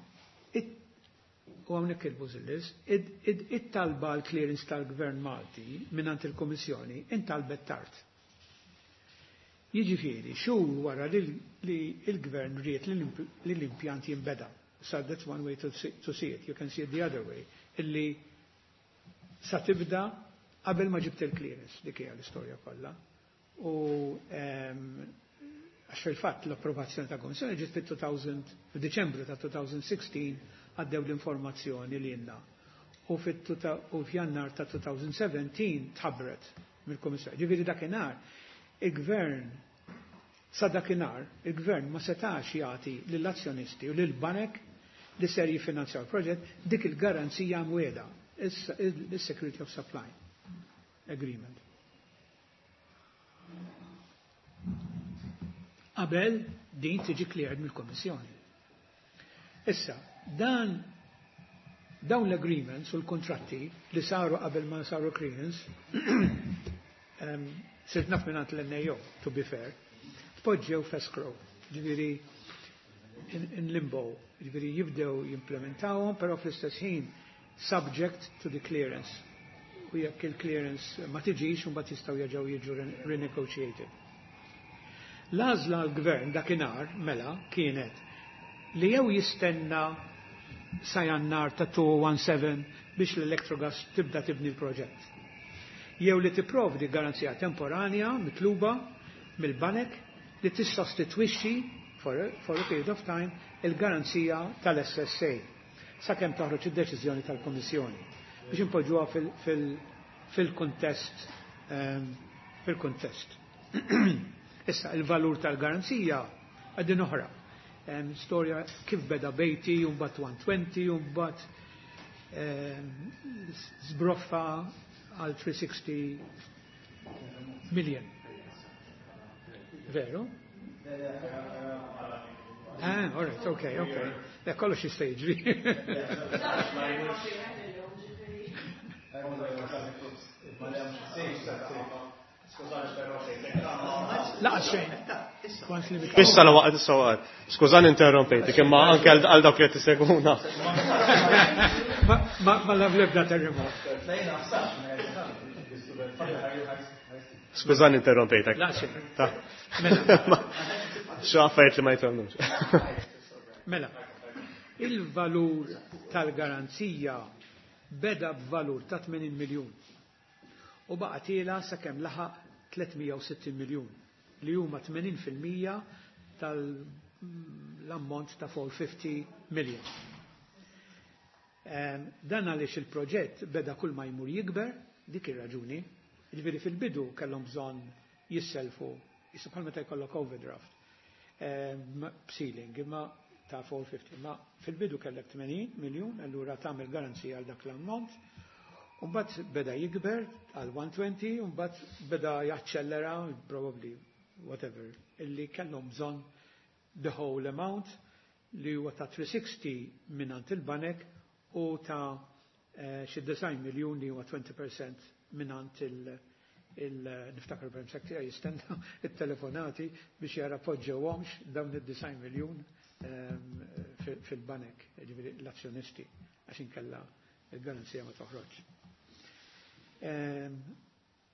u hawnhekk il-bużillis, it-talba l-clearance tal-Gvern Malti mingħand il-Kummissjoni intalbet tard. Jiġifieri, xhur wara li l-Gvern ried li l-impjant jinbeda. So that's one way to see it. You can see it the other way. Illi sa tibda qabel ma ġibt il-clearance, dik hija l-istorja kollha. U għax fil-fatt l-approvazzjoni ta' Kommissjoni ġiet fit-2000, f'Diċembru ta' 2016 għaddew l-informazzjoni li jenna. U f'Jannar ta' 2017 tħabbret mill-Kummissjoni. Ġifieri dakinhar il-Gvern sa dakinhar il-Gvern ma setax jagħti lill-azzjonisti u lill-banek li ser jiffinanzjaw il-proġett dik il-garanzija mwiegħda, il-Security of Supply Agreement. Qabel din tiġi cleared mill-Kommissjoni. Issa, dan dawn l-agreements u l-kontratti li saru qabel ma saru clearance, sirt naf mingħand l-NAO, to be fair, tpoġġew f'escrow, ġifieri in limbo, ġifieri jibdew jimplementawhom, però fl-istess ħin subject to the clearance. U jekk il-clearance ma tiġix, mbagħad jistgħu jerġgħu jiġu renegotiated. L-għażla l-gvern dakinhar mela kienet li jew jistenna sa Jannar ta' 2017 biex l-Electrogas tibda tibni l-proġett. Jew li tipprovdi garanzija temporanja mitluba mill-banek li tissostitwixxi for a period of time il-garanzija tal-SSA sakemm toħroġ id-deċiżjoni tal-Kommissjoni biex impoġġuha fil-kuntest fil-kuntest. Issa il-valur tal-garanzija għaddin oħra. Storja kif beda bejti, mbagħad 120, mbagħad zbroffa għal 360 million. Veru? Ah, all right, okay. Le, kollox jista' jiġri. La, xejn. Once li Issa la waqt, issa waqt. Skużani interrompejtik, imma anke għal dawk li qed isegwuna. Ma la lebda terremot. Skużani interrompejtek. La, xejn. Ta. Xi affarijiet li ma jitgħallmux. Mela, il-valur tal-garanzija beda b'valur ta' 80 miljun u baqa' tiela sakemm laħaq 360 miljun li huma 80% tal-ammont ta' 450 million. Dan għaliex il-proġett beda kull ma jmur jikber, dik ir-raġuni, jiġifieri fil-bidu kellhom bżonn jisselfu, jissu bħal meta jkollok overdraft, ceiling, imma ta' 450, ma fil-bidu kellek 80 miljun, allura tagħmel garanzija għal dak l-ammont, u mbagħad beda jikber għal 120, u mbagħad beda jaċċellera, probably whatever, illi kellhom bżonn the whole amount li huwa ta' 360 mingħand il-banek u ta' xi 9 miljun li huwa 20% mingħand il niftakar perm tiegħi jistenna it-telefonati biex jara poġġewhomx dawn id-9 miljun fil-banek, ġifieri l-azzjonisti, għax inkella il-garanzija ma toħroġ.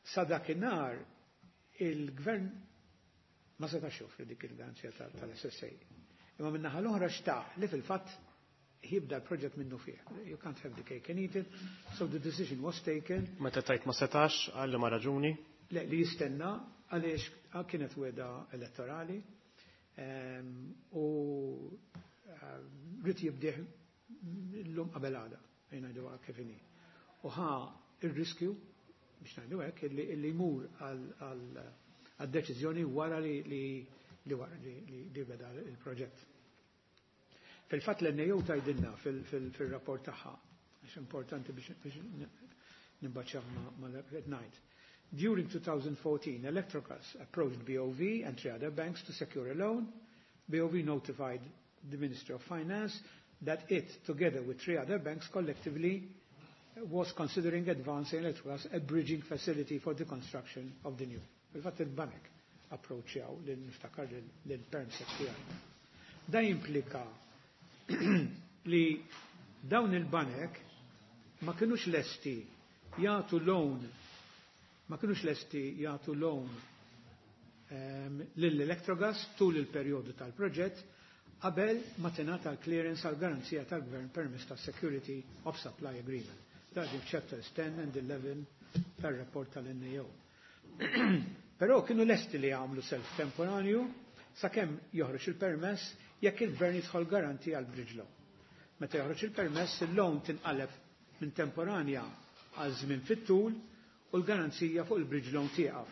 Sa dakinhar il-gvern ma setax joffri dik il-garanzija tal-SSA. Imma min-naħa l-oħra xtaq li fil-fatt jibda l-proġett minnu fih. You can't have the cake and eat it, so the decision was taken. Meta tajt ma setax, għal ma raġuni? Le, li jistenna għaliex kienet wegħda elettorali u ried jibdih l-lum qabel għada, ngħidu kif inhi. U ħa il-riskju, biex ngħidu hekk, illi jmur għal deċiżjoni wara li beda il-proġett. Fil-fatt l-NAO tgħidilna fil-rapport tagħha, għax importanti biex nibbaċċaw ma ngħid. During 2014, Electrogas approached BOV and three other banks to secure a loan. BOV notified the Ministry of Finance that it, together with three other banks collectively, was considering advancing Electrogas a bridging facility for the construction of the new. Il-fatt il-banek approachjaw lil niftakar lil-permsec tiegħi. Da jimplika li dawn il-banek ma kinux lesti jagħtu loan ma kinux lesti jagħtu loan lill-Electrogas tul il-perjodu tal-proġett qabel ma tingħata l-clearance għal garanzija tal-Gvern permezz ta' Security of Supply Agreement. Dan chapters 10 and 11 tal-rapport tal-NAO. Però kienu lesti li jagħmlu self temporanju sakemm joħroġ il-permess jekk il-gvern jidħol garanti għal bridge loan. Meta joħroġ il-permess, il-loan tinqaleb minn temporanja għal żmien fit-tul u l-garanzija fuq il-bridge loan tieqaf.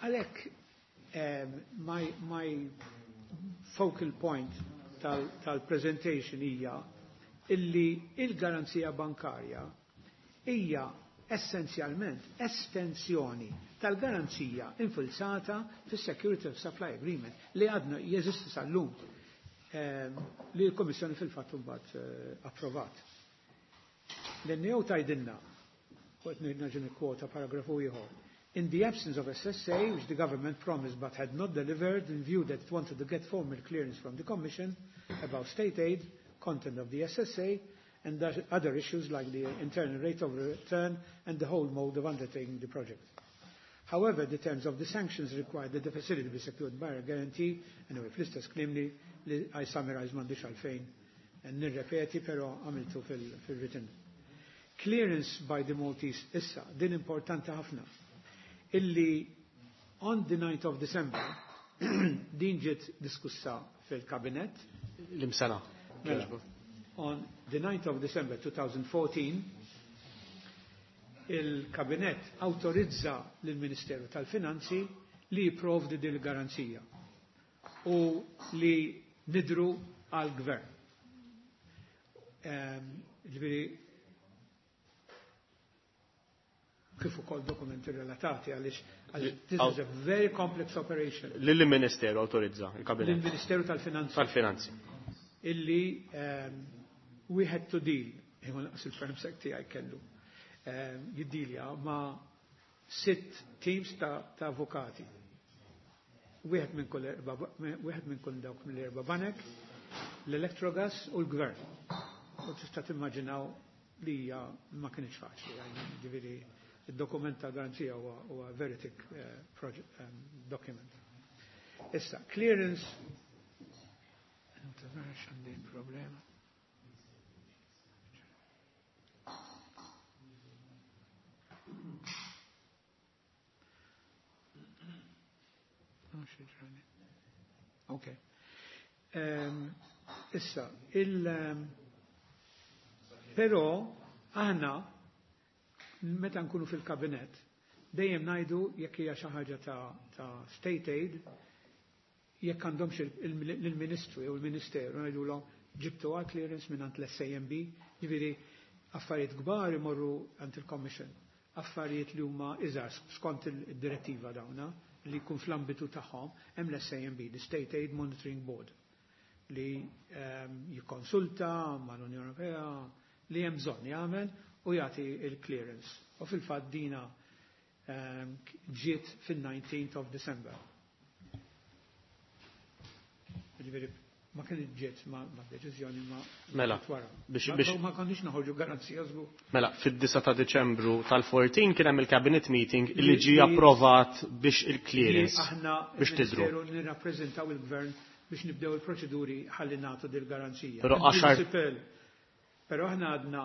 Għalhekk my focal point tal-presentation hija illi il-garanzija bankarja hija essenzjalment estensjoni tal-garanzija infilzata fis-Security of Supply Agreement li għadna jeżisti sal-lum li l-Komissjoni fil-fatt mbagħad approvat. L-NAO tgħidilna, u qed nerġa' nikkwota paragrafu ieħor, in the absence of SSA, which the government promised but had not delivered, in view that it wanted to get formal clearance from the Commission about state aid, content of the SSA, and other issues like the internal rate of return and the whole mode of undertaking the project. However, the terms of the sanctions required that the facility be secured by a guarantee, anyway, fl-istess kliem li I summarize m'għandix għalfejn nirrepeti, pero għamiltu fil-written. Clearance by the Maltese issa, din importanti ħafna, illi on the 9th of December, din ġiet diskussa fil-kabinet. L-imsena. Mela, on the 9th of December 2014, il-kabinet autorizza lill-Ministeru tal-Finanzi li jipprovdi din il-garanzija u li nidru għal-gvern. Ġifieri, kif ukoll dokumenti relatati għaliex this is a very complex operation. Lill-Ministeru autorizza il-kabinet. Lill-Ministeru tal-Finanzi. Tal-Finanzi. Illi we had to deal, imma naqas il-permsec tiegħi kellu, jiddilja ma' sitt teams ta' avukati. Wieħed minn kull erba' wieħed minn kull dawk mill-erba' banek, l-Electrogas u l-Gvern. U tista' timmaġinaw li hija ma kienx faċli, ġifieri id-dokument ta' garanzija huwa very thick project document. Issa, clearance għandi problema. Ok. Issa, però aħna meta nkunu fil-kabinet dejjem ngħidu jekk hija xi ħaġa ta' state aid jekk għandhomx il-Ministru jew il-Ministeru ngħidulhom ġibtu għal clearance minn għand l-SAMB, ġifieri affarijiet kbar imorru għand il-Commission, affarijiet li huma iżgħar skont id-direttiva dawna li jkun fl-ambitu tagħhom hemm l-SAMB, the State Aid Monitoring Board, li jikkonsulta mal-Unjoni Ewropea li hemm bżonn jagħmel u jagħti il-clearance. U fil-fatt dina ġiet fil-19th of December. Ġifieri ma kien ġiet ma deċiżjoni ma Mela, wara. biex Ma konniex noħorġu garanzija żgur. Mela, fid-9 ta' Deċembru tal-14 kien hemm il-cabinet meeting li ġie approvat biex il-clearance Aħna biex tidru. il-Ministeru nirrappreżentaw il-Gvern biex nibdew il-proċeduri ħalli nagħtu dil-garanzija. Però għaxar Però aħna għadna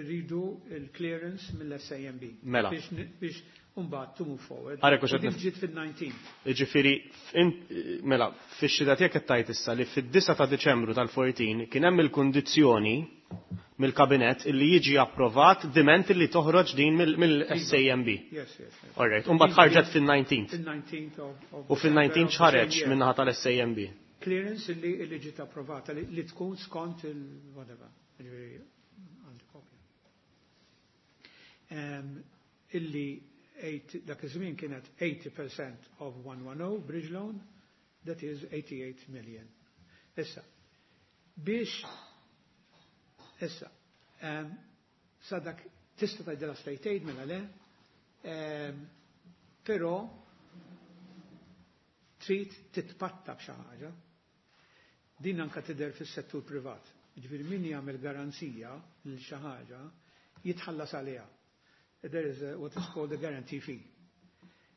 rridu il-clearance mill-SAMB. Mela. Biex mbagħad to move forward. Għarek, U din ġiet fil-19. Ġifieri, mela, fix-xida tiegħek qed tgħid issa li fid-9 ta' Deċembru tal-14 kien hemm il-kundizzjoni mill-kabinet illi jiġi approvat diment illi toħroġ din mill-SAMB. Yes. All right, u mbagħad ħarġet fil-19. Fil-19 of U fil-19 December ħareġ of the same year. min-naħa tal-SAMB. Clearance illi ġiet approvata li tkun skont il-whatever. Ġifieri, għandi kopja. Illi dak iż-żmien kienet 80% of 110 bridge loan, that is 88 million. Issa, biex, issa, sadak tista' tgħidilha state aid mela le, però trid titpatta b'xi ħaġa. Din anka tidher fis-settur privat. Ġifieri min jagħmel garanzija lil xi ħaġa jitħallas għaliha. There is a, what is called a guarantee fee.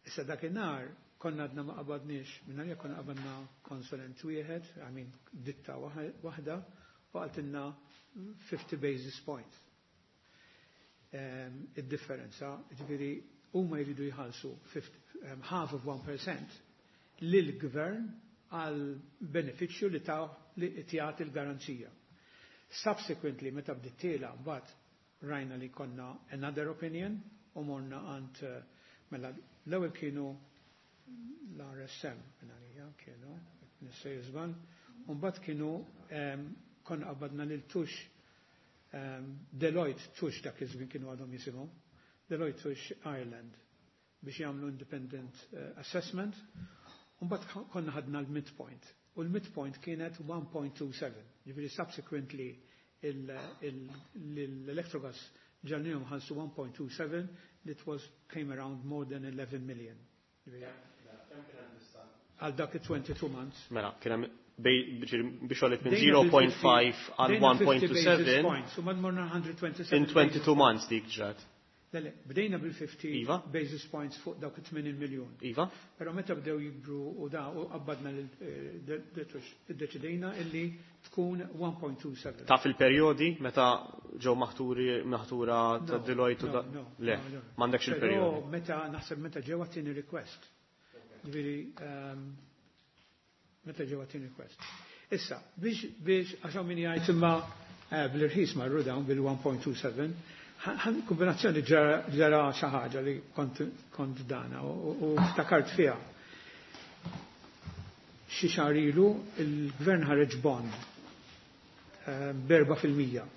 Issa dakinhar konna għadna ma qabadniex, minna li konna qabadna konsulent wieħed, I mean ditta waħda, u qaltilna 50 basis points. Id-differenza, ġifieri huma jridu jħallsu half of 1% lill-gvern għal benefiċċju li ta' li jagħti l-garanzija. Subsequently, meta bdiet tiela, mbagħad rajna li konna another opinion u morna għand mela l-ewwel kienu l-RSM minn kienu, nissej żball, u mbagħad kienu konna qabadna lil Touche, Deloitte Touche dak iż-żmien kienu għadhom jisimhom, Deloitte Touche Ireland biex jagħmlu independent assessment, u mbagħad konna ħadna l-midpoint. U l-midpoint kienet 1.27. Ġifieri subsequently l-Electrogas ġagħalnihom iħallsu 1.27 that was came around more than 11 million. Għal dak 22 months. Mela, kien hemm biex għolet minn 0.5 għal 1.27 U morna 127. In 22 months dik ġrat. Le, bdejna bil-50 Iva. Basis points fuq dawk 80 miljon. Iva? Pero meta bdew jikbru u da u qabbadna iddeċidejna illi tkun 1.27. Ta' fil-perjodi meta ġew maħturi maħtura ta' Deloitte u da? Le, m'għandekx il-perjodi. Però meta naħseb meta ġew għat-tieni request. Ġifieri meta ġew għat-tieni request. Issa, biex għax hawn min jgħid imma bl-irħis marru dawn bil-1.27, kombinazzjoni ġara xi ħaġa li kont dana u ftakart fiha. Xi xahar ilu il-gvern ħareġ bond b'4%,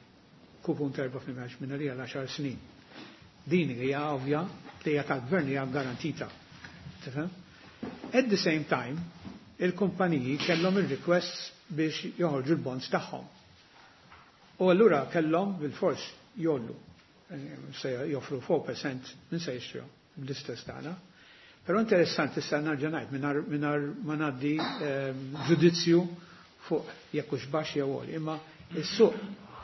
kupun ta' 4% għax minn għalija l-10 snin. Din hija ovvja li hija tal-gvern hija garantita. Tifhem? At the same time, il-kumpaniji kellhom il-requests biex joħorġu l-bonds tagħhom. U allura kellhom bil-fors jgħollu. Se joffru 4% min se jixtru bl-istess tagħna. Però interessanti issa nerġa' ngħid mingħajr ma ngħaddi ġudizzju fuq jekk hux baxx jew għoli, imma is-suq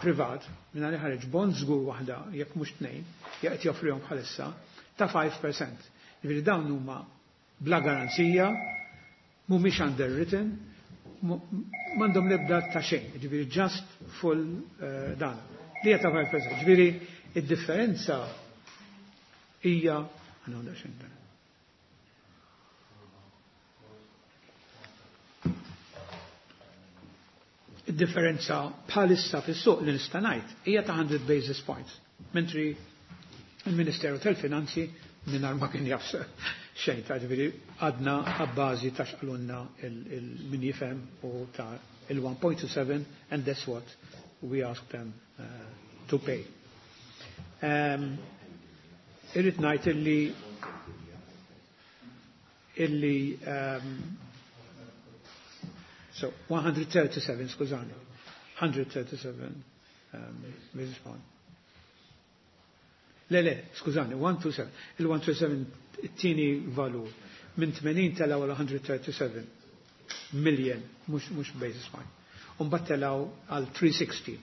privat minn ħareġ bond żgur waħda jekk mhux tnejn, jekk qed joffrihom bħalissa ta' 5%. Jiġifieri dawn huma bla garanzija, mhumiex underwritten, m'għandhom l-ebda ta' xejn, jiġifieri just full dan. Li hija ta' 5%. Jiġifieri id-differenza hija għandha xejn dan. Id-differenza bħalissa fis-suq li nista' ngħid hija ta' 100 basis points. Mentri il-Ministeru tal-Finanzi mingħajr ma kien jaf xejn ta' ġifieri għadna abbażi ta' x'qalulna il-min jifhem u ta' il-1.27 and that's what we asked them to pay. Irrid ngħid illi so 137, skużani, 137 basis point. Le, le, skużani, 127. Il-127 it-tieni valur. Minn 80 telaw għal 137 million, mhux basis point. Umbagħad telaw għal 360.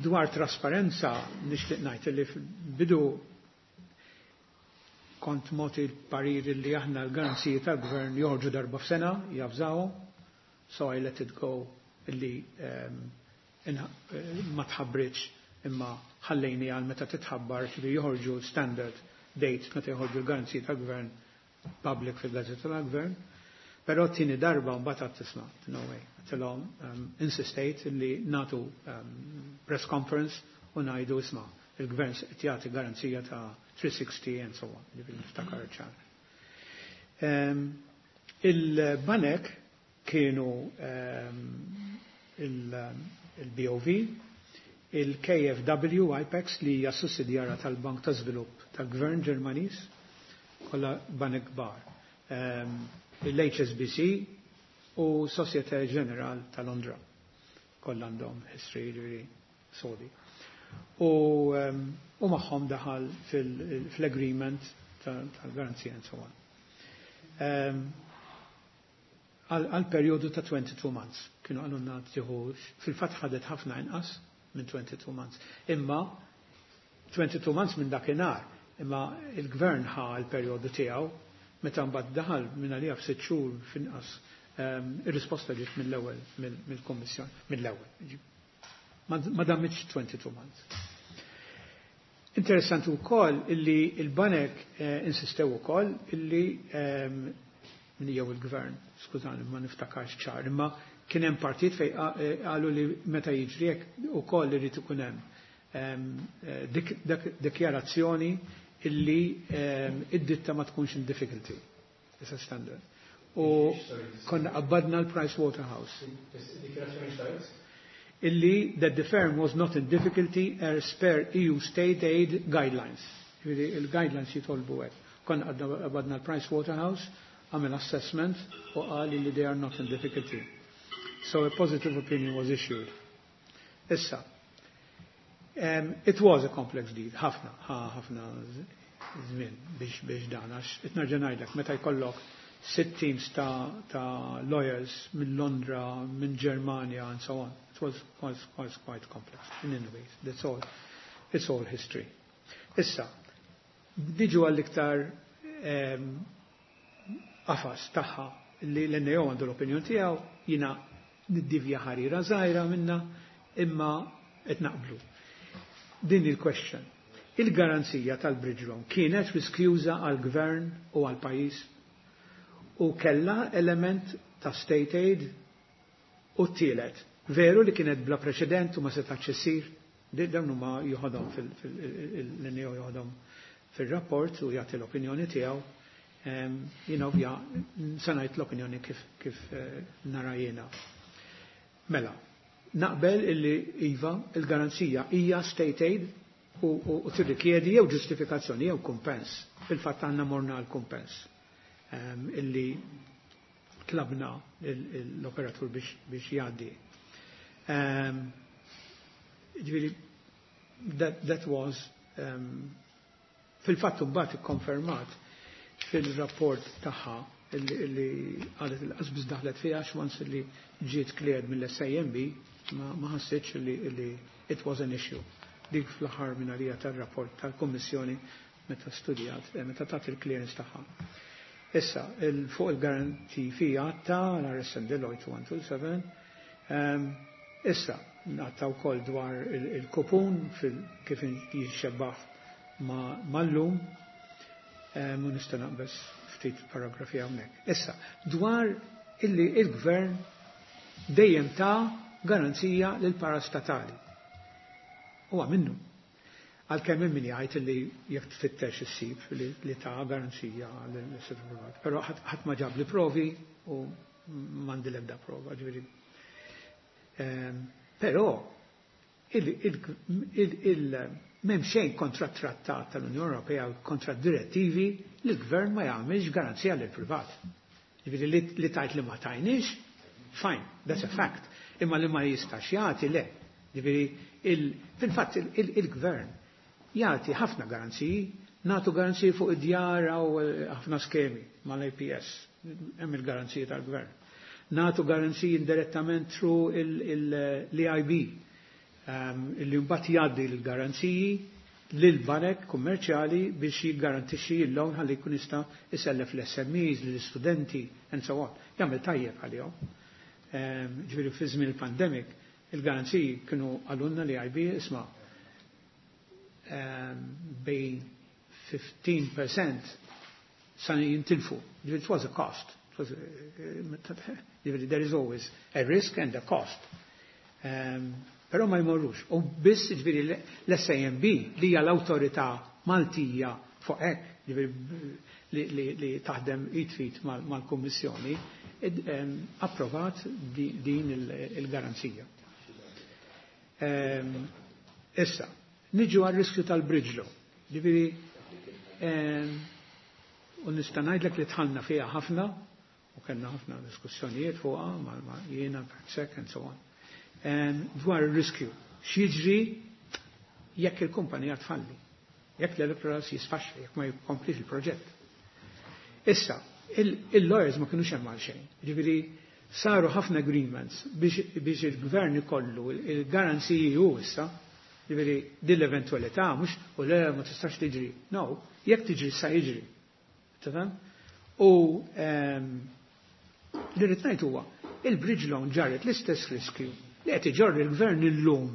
Dwar trasparenza, nixtieq ngħid li bidu kont moti l-parir li aħna l-garanziji tal-gvern joħorġu darba f'sena, javżaw, so I let it go illi ma tħabbritx imma ħallejni għal meta titħabbar li joħorġu standard date meta joħorġu l-garanziji tal-gvern public fil-gazzetta tal-gvern. Però t-tieni darba mbagħad għad tisma', no way. Għedtilhom insistejt li nagħtu press conference u ngħidu isma' il-gvern qed jagħti garanzija ta' 360 and so on, ġifieri niftakar ċar. Il-banek kienu il-BOV. Il-KfW IPEX li hija sussidjara tal-Bank ta' Żvilupp tal-Gvern Ġermaniż, kollha banek kbar. Il-HSBC u Societe Generale ta' Londra. Kollha għandhom history, ġifieri sodi. U magħhom daħal fil-agreement tal-garanzija and so on. Għal periodu ta' 22 months. Kienu qalulna tieħu, fil-fatt ħadet ħafna inqas minn 22 months. Imma 22 months minn dakinhar, imma il-gvern ħa l-periodu tiegħu meta mbagħad daħal minn għalija f'6 xhur f'inqas ir-risposta ġiet mill-ewwel mill-Kommissjoni, mill-ewwel. Ma damitx 22 months. Interessanti wkoll illi il-banek insistew ukoll illi min jew il-gvern, skużani, ma niftakarx ċar, imma kien hemm partit fej qalu li meta jiġri hekk ukoll irid ikun hemm dikjarazzjoni illi id-ditta ma tkunx in difficulty. It's a standard. U konna qabbadna l-Price Waterhouse. Illi that the firm was not in difficulty as per EU state aid guidelines. Il-guidelines jitolbu hekk. Konna qabbadna l-Price Waterhouse, għamel assessment u qal li they are not in difficulty. So a positive opinion was issued. Issa, it was a complex deal, ħafna, ħafna żmien biex dan, għax qed nerġa' ngħidlek, meta jkollok sitt teams ta' lawyers minn Londra, minn Germania, and so on. It was quite complex. In any ways, that's all. It's all history. Issa, niġu għall-iktar qafas tagħha li l-NAO għandu l-opinjon tiegħu, jiena niddivja ħarira żgħira minna, imma qed naqblu. Din il-question. Il-garanzija tal-bridge loan kienet riskjuża għal-gvern u għal-pajjiż u kella element ta' state aid u t-tielet. Veru li kienet bla preċedent u ma setax issir, dawn huma joħodhom fil-NAO joħodhom fil-rapport u jagħti l-opinjoni tiegħu. Jiena ovvja se ngħid l-opinjoni kif nara jiena. Mela, naqbel illi iva il-garanzija hija state aid u tirrikjedi jew ġustifikazzjoni jew kumpens. Fil-fatt għandna morna għal kumpens illi tlabna l-operatur biex jgħaddi. Ġifieri, that was fil-fatt mbagħad ikkonfermat fil-rapport tagħha illi qalet il-qasbis daħlet fiha once li ġiet cleared mill-SAMB ma ħassitx li it was an issue. Dik fl-aħħar minn għalija tar-rapport tal-Kummissjoni meta studjat, meta tat il-clearance tagħha. Issa, fuq il-guarantee fee għatta l-RSM Deloitte 127. Issa, għatta wkoll dwar il-kupun kif jixxebbaħ mal-lum, u nista' naqbeż ftit paragrafi hawnhekk. Issa, dwar illi il-gvern dejjem ta' garanzija lil parastatali. Huwa minnu. Għalkemm hemm min jgħid li jekk tfittex issib li ta' garanzija lill-settur privat. Però ħadd ma ġab li provi u m'għandi l-ebda prova, ġifieri. Però m'hemm xejn kontra trattat tal-Unjoni Ewropea u kontra direttivi li l-gvern ma jagħmilx garanzija lil privat. Ġifieri li tajt li ma tajniex, fine, that's a fact. Imma li ma jistax jagħti le. Ġifieri fil-fatt il-gvern jagħti ħafna garanziji, nagħtu garanziji fuq id-djar u ħafna skemi mal-APS, hemm il-garanziji tal-gvern. Nagħtu garanziji indirettament through l-EIB, illi mbagħad jgħaddi l-garanziji lil banek kummerċjali biex jiggarantixxi l-loan ħalli jkun jista' isellef l-SMEs, l-istudenti, and so on. Jagħmel tajjeb għalihom. Ġifieri fi żmien il-pandemic, il-garanziji kienu qalulna l-EIB isma' bejn 15% sa jintilfu. Ġifieri it was a cost. Ġifieri there is always a risk and a cost. Però ma jmorrux. U biss ġifieri l-SAMB li hija l-awtorità Maltija fuq hekk, ġifieri li taħdem id fit mal-Kummissjoni, approvat din il-garanzija. Issa, niġu għal-riskju tal-bridge loan. Ġifieri, u nista' ngħidlek li dħalna fiha ħafna u kellna ħafna diskussjonijiet fuqha ma' jiena, Perksek and so on. Dwar ir-riskju. X'jiġri jekk il-kumpanija tfalli, jekk l-Electrogas jisfaxxa, jekk ma jkomplix il-proġett. Issa, il-lawyers ma kienux hemm għal xejn. Ġifieri saru ħafna agreements biex il-gvern ikollu il-garanziji hu issa, ġifieri din l-eventualità mhux u le ma tistax tiġri. No, jekk tiġri sa jiġri. Tifhem? U li rrid ngħid huwa il-bridge loan ġarret l-istess riskju li qed iġorri l-gvern illum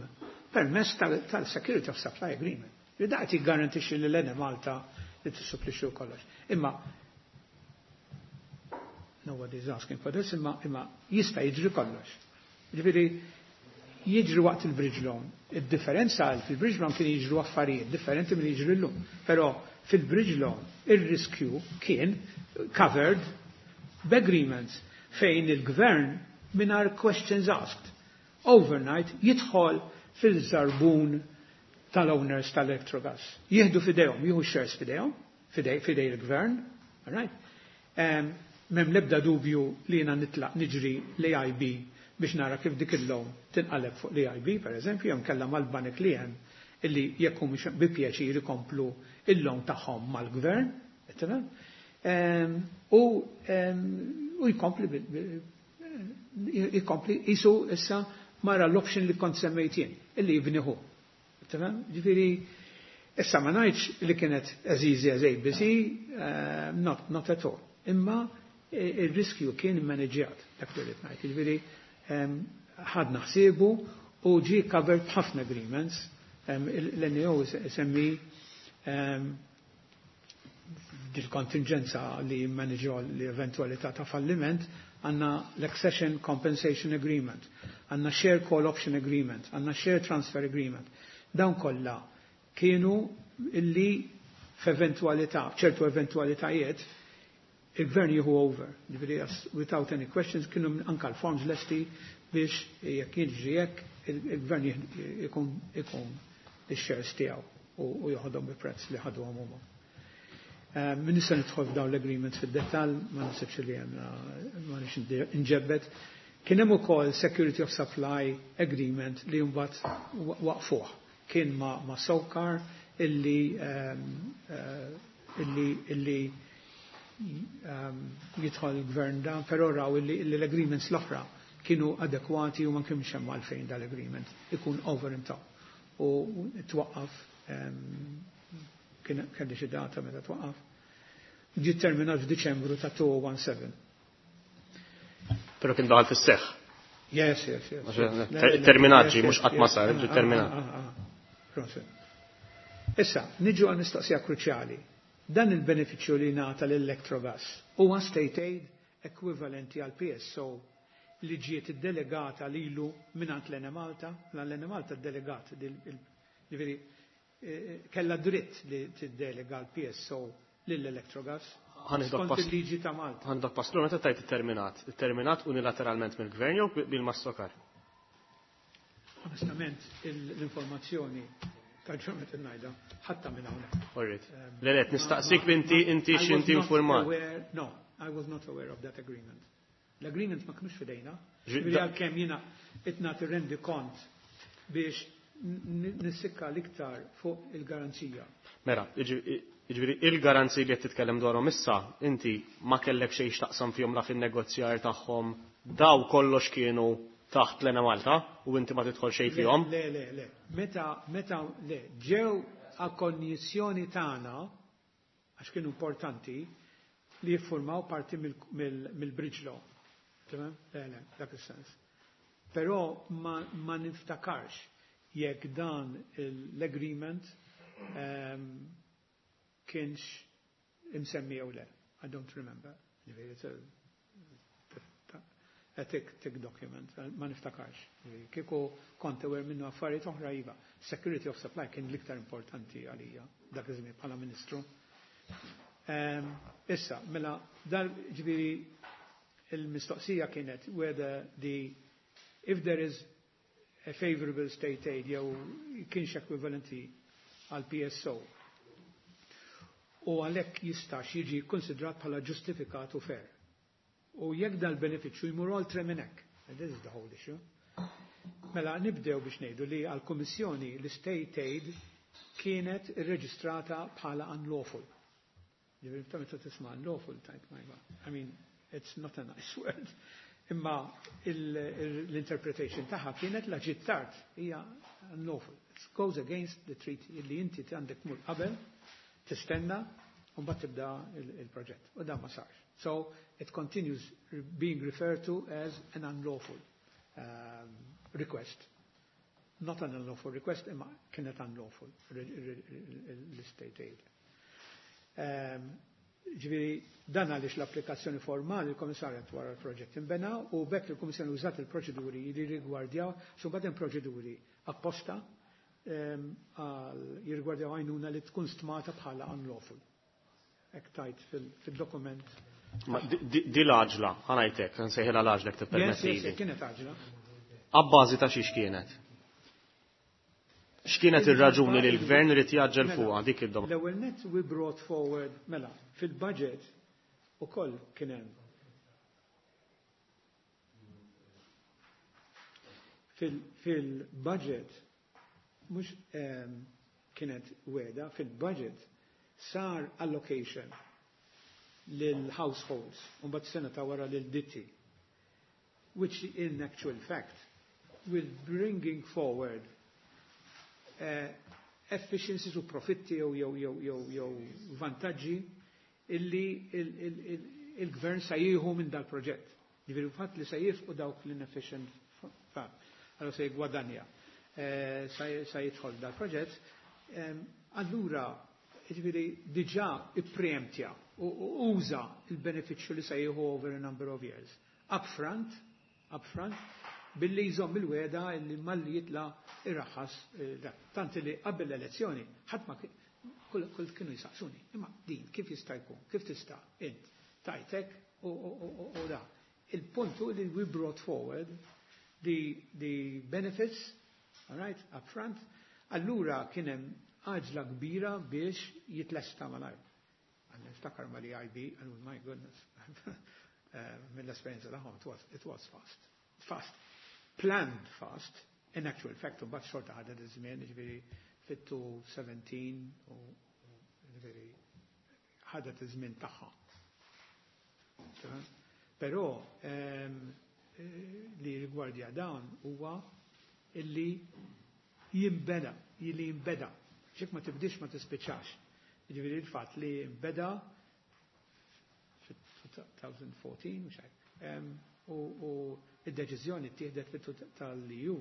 permezz tal-Security of Supply Agreement. Li da qed jiggarantixxi lil Enemalta li tissupplixxu kollox. Imma nobody is asking for this, imma jista' jiġri kollox. Ġifieri jiġri waqt il-bridge loan. Id-differenza fil-bridge loan kien jiġru affarijiet differenti minn jiġri llum. Però fil-bridge loan ir-riskju kien covered b'agreements fejn il-gvern mingħajr questions asked overnight jidħol fil-żarbun tal-owners tal-Electrogas. Jieħdu fidejhom, jieħu shares fidejhom, fidej il-gvern, all right? M'hemm lebda dubju li jiena nitlaq niġri l-AIB biex nara kif dik il-loan tinqaleb fuq l-AIB, per eżempju, jew kella mal-banek li hemm illi jekk mhux bi pjaċir ikomplu il-loan tagħhom mal-gvern, tifhem? U jkompli jisu issa mara l-option li kont semmejt jien, illi jibniħu. Tifhem? Ġifieri, issa ma ngħidx li kienet as easy as ABC, not at all. Imma il-riskju kien immaneġġjat, dak li rrid ngħid. Ġifieri, ħadna ħsiebu u ġie covered b'ħafna agreements. L-NAO semmi dil-kontingenza li jimmaneġġjaw l-eventualità ta' falliment, għandna l-Accession Compensation Agreement, għandna Share Call Option Agreement, għandna Share Transfer Agreement. Dawn kollha kienu illi f'eventualità, ċertu eventualitajiet, il-gvern jieħu over. Ġifieri, without any questions, kienu anka l-forms lesti biex jekk jiġri jekk il-gvern ikun il-shares tiegħu u joħodhom bi prezz li ħaduhom huma. Min nista' nidħol f'dawn l-agreements fid-dettall, ma nasibx li hemm ma nix inġebbed. Kien hemm ukoll Security of Supply Agreement li mbagħad waqfuh. Kien ma' SOCAR illi jidħol il-gvern dan, però raw illi l-agreements l-oħra kienu adekwati u ma kienx hemm għalfejn dal-agreement ikun over and top. U twaqqaf kien kelli xi data meta twaqqaf. Ġie terminat f'Diċembru ta' 2017. Però kien daħal fis-seħħ. Yes. Terminat ġie, mhux qatt ma sar, ġie terminat. Proset. Issa, niġu għal mistoqsija kruċjali. Dan il-benefiċċju li ngħata l-Electrogas huwa state aid ekwivalenti għal PSO li ġiet iddelegata lilu mingħand l-Enemalta, l-Enemalta ddelegat, ġifieri kella dritt li tiddelega l-PSO lill-Electrogas. Skont il-liġi ta' Malta. Ħa nieħdok pass lura. Meta tajt terminat, terminat unilateralment mill-gvern jew bil-ma' SOCAR? Onestament, l-informazzjoni tal-ġurmet il-najda, ħatta minn hawnhekk. Alright. Le, nistaqsik inti x'inti informat. No, I was not aware of that agreement. L-agreement ma kienux fidejna. Ġifieri għalkemm jiena itna tirrendi kont biex nissikka l-iktar fuq il-garanzija. Mela, ġifieri il-garanziji li qed titkellem dwarhom issa, inti ma kellek xejn x'taqsam fihom la fin-negozjar tagħhom, daw kollox kienu taħt l-Enemalta u inti ma tidħol xejn fihom. Le. Meta, le, ġew għal-konjizzjoni tagħna, għax kienu importanti, li jiffurmaw parti mill-bridge loan. Tamam? Le, dak is-sens. Però ma niftakarx jekk dan l-agreement kienx imsemmi jew le. I don't remember. Ġifieri, it's a thick document, ma niftakarx. Kieku kont aware minnu affarijiet oħra iva. Security of supply kien l-iktar importanti għalija dak iż-żmien bħala ministru. Issa, mela, dal ġifieri il-mistoqsija kienet whether the if there is a favorable state aid jew kienx ekwivalenti għal PSO. U għalhekk jistax jiġi konsidrat bħala ġustifikat u fair. U jekk dal-benefiċċju jmur oltre minn hekk. And this is the whole issue. Mela nibdew biex ngħidu li għall-Kummissjoni l-state aid kienet irreġistrata bħala unlawful. Ġifieri ta' meta tisma' unlawful tajt my God. I mean, it's not a nice word. Imma l-interpretation tagħha kienet la ġiet tard hija unlawful. It goes against the treaty illi inti għandek mur qabel, tistenna, u mbagħad tibda il-proġett. U dan ma sarx. So it continues being referred to as an unlawful request. Not an unlawful request, imma kienet unlawful l-state aid. Ġifieri, dan għaliex l-applikazzjoni formali il-Komissarjat wara l-proġett imbena u bekk il-Komissjoni użat il-proċeduri li rigwardjaw, su hemm proċeduri apposta għal jirrigwardjaw għajnuna li tkun stmata bħala unlawful. Hekk tajt fil-dokument. Ma di l-għaġla, ħa ngħidlek, nsejħilha l-għaġla Yes, tippermettili. kienet għaġla. Abbażi ta' xiex kienet? X'kienet ir-raġuni li l-gvern irid jaġġel Mela, fuqha dik id-domanda? L-ewwel net we brought forward, mela, fil-budget ukoll kien hemm. Fil-budget mhux kienet weda, fil-budget sar allocation lil households u mbagħad sena ta' wara lil ditti, which in actual fact with bringing forward efficiencies u profitti jew vantaġġi illi il-gvern sa jieħu minn dal-proġett. Ġifieri fatt li sa jifqu dawk l-inefficient fatt. Allora se jgwadanja, sa jidħol dal-proġett. Allura, ġifieri diġà ippreemptja u uża il-benefiċċju li sa jieħu over a number of years. Upfront, upfront, billi jżomm il-weda illi malli jitla irraħas dak. Tant li qabel l-elezzjoni ħadd ma kull kienu jisaqsuni. Imma din kif jista' jkun? Kif tista' int tajtek u da. Il-punt hu li we brought forward the benefits, all right, up front. Allura kien hemm għaġla kbira biex jitlesta malajr. Għanna niftakar ma li IB, oh my goodness, mill-esperienza tagħhom, it was fast. Fast. Planned fast, in actual fact, u mbagħad xorta ħadet iż-żmien, ġifieri fit 17 u ġifieri ħadet iż-żmien tagħha. Però li rigwardja dan huwa illi jimbeda, illi jimbeda. Xek ma tibdix ma tispiċċax. Ġifieri il-fatt li jimbeda fit-2014, mhux hekk. U id-deċiżjoni ttieħdet tal-EU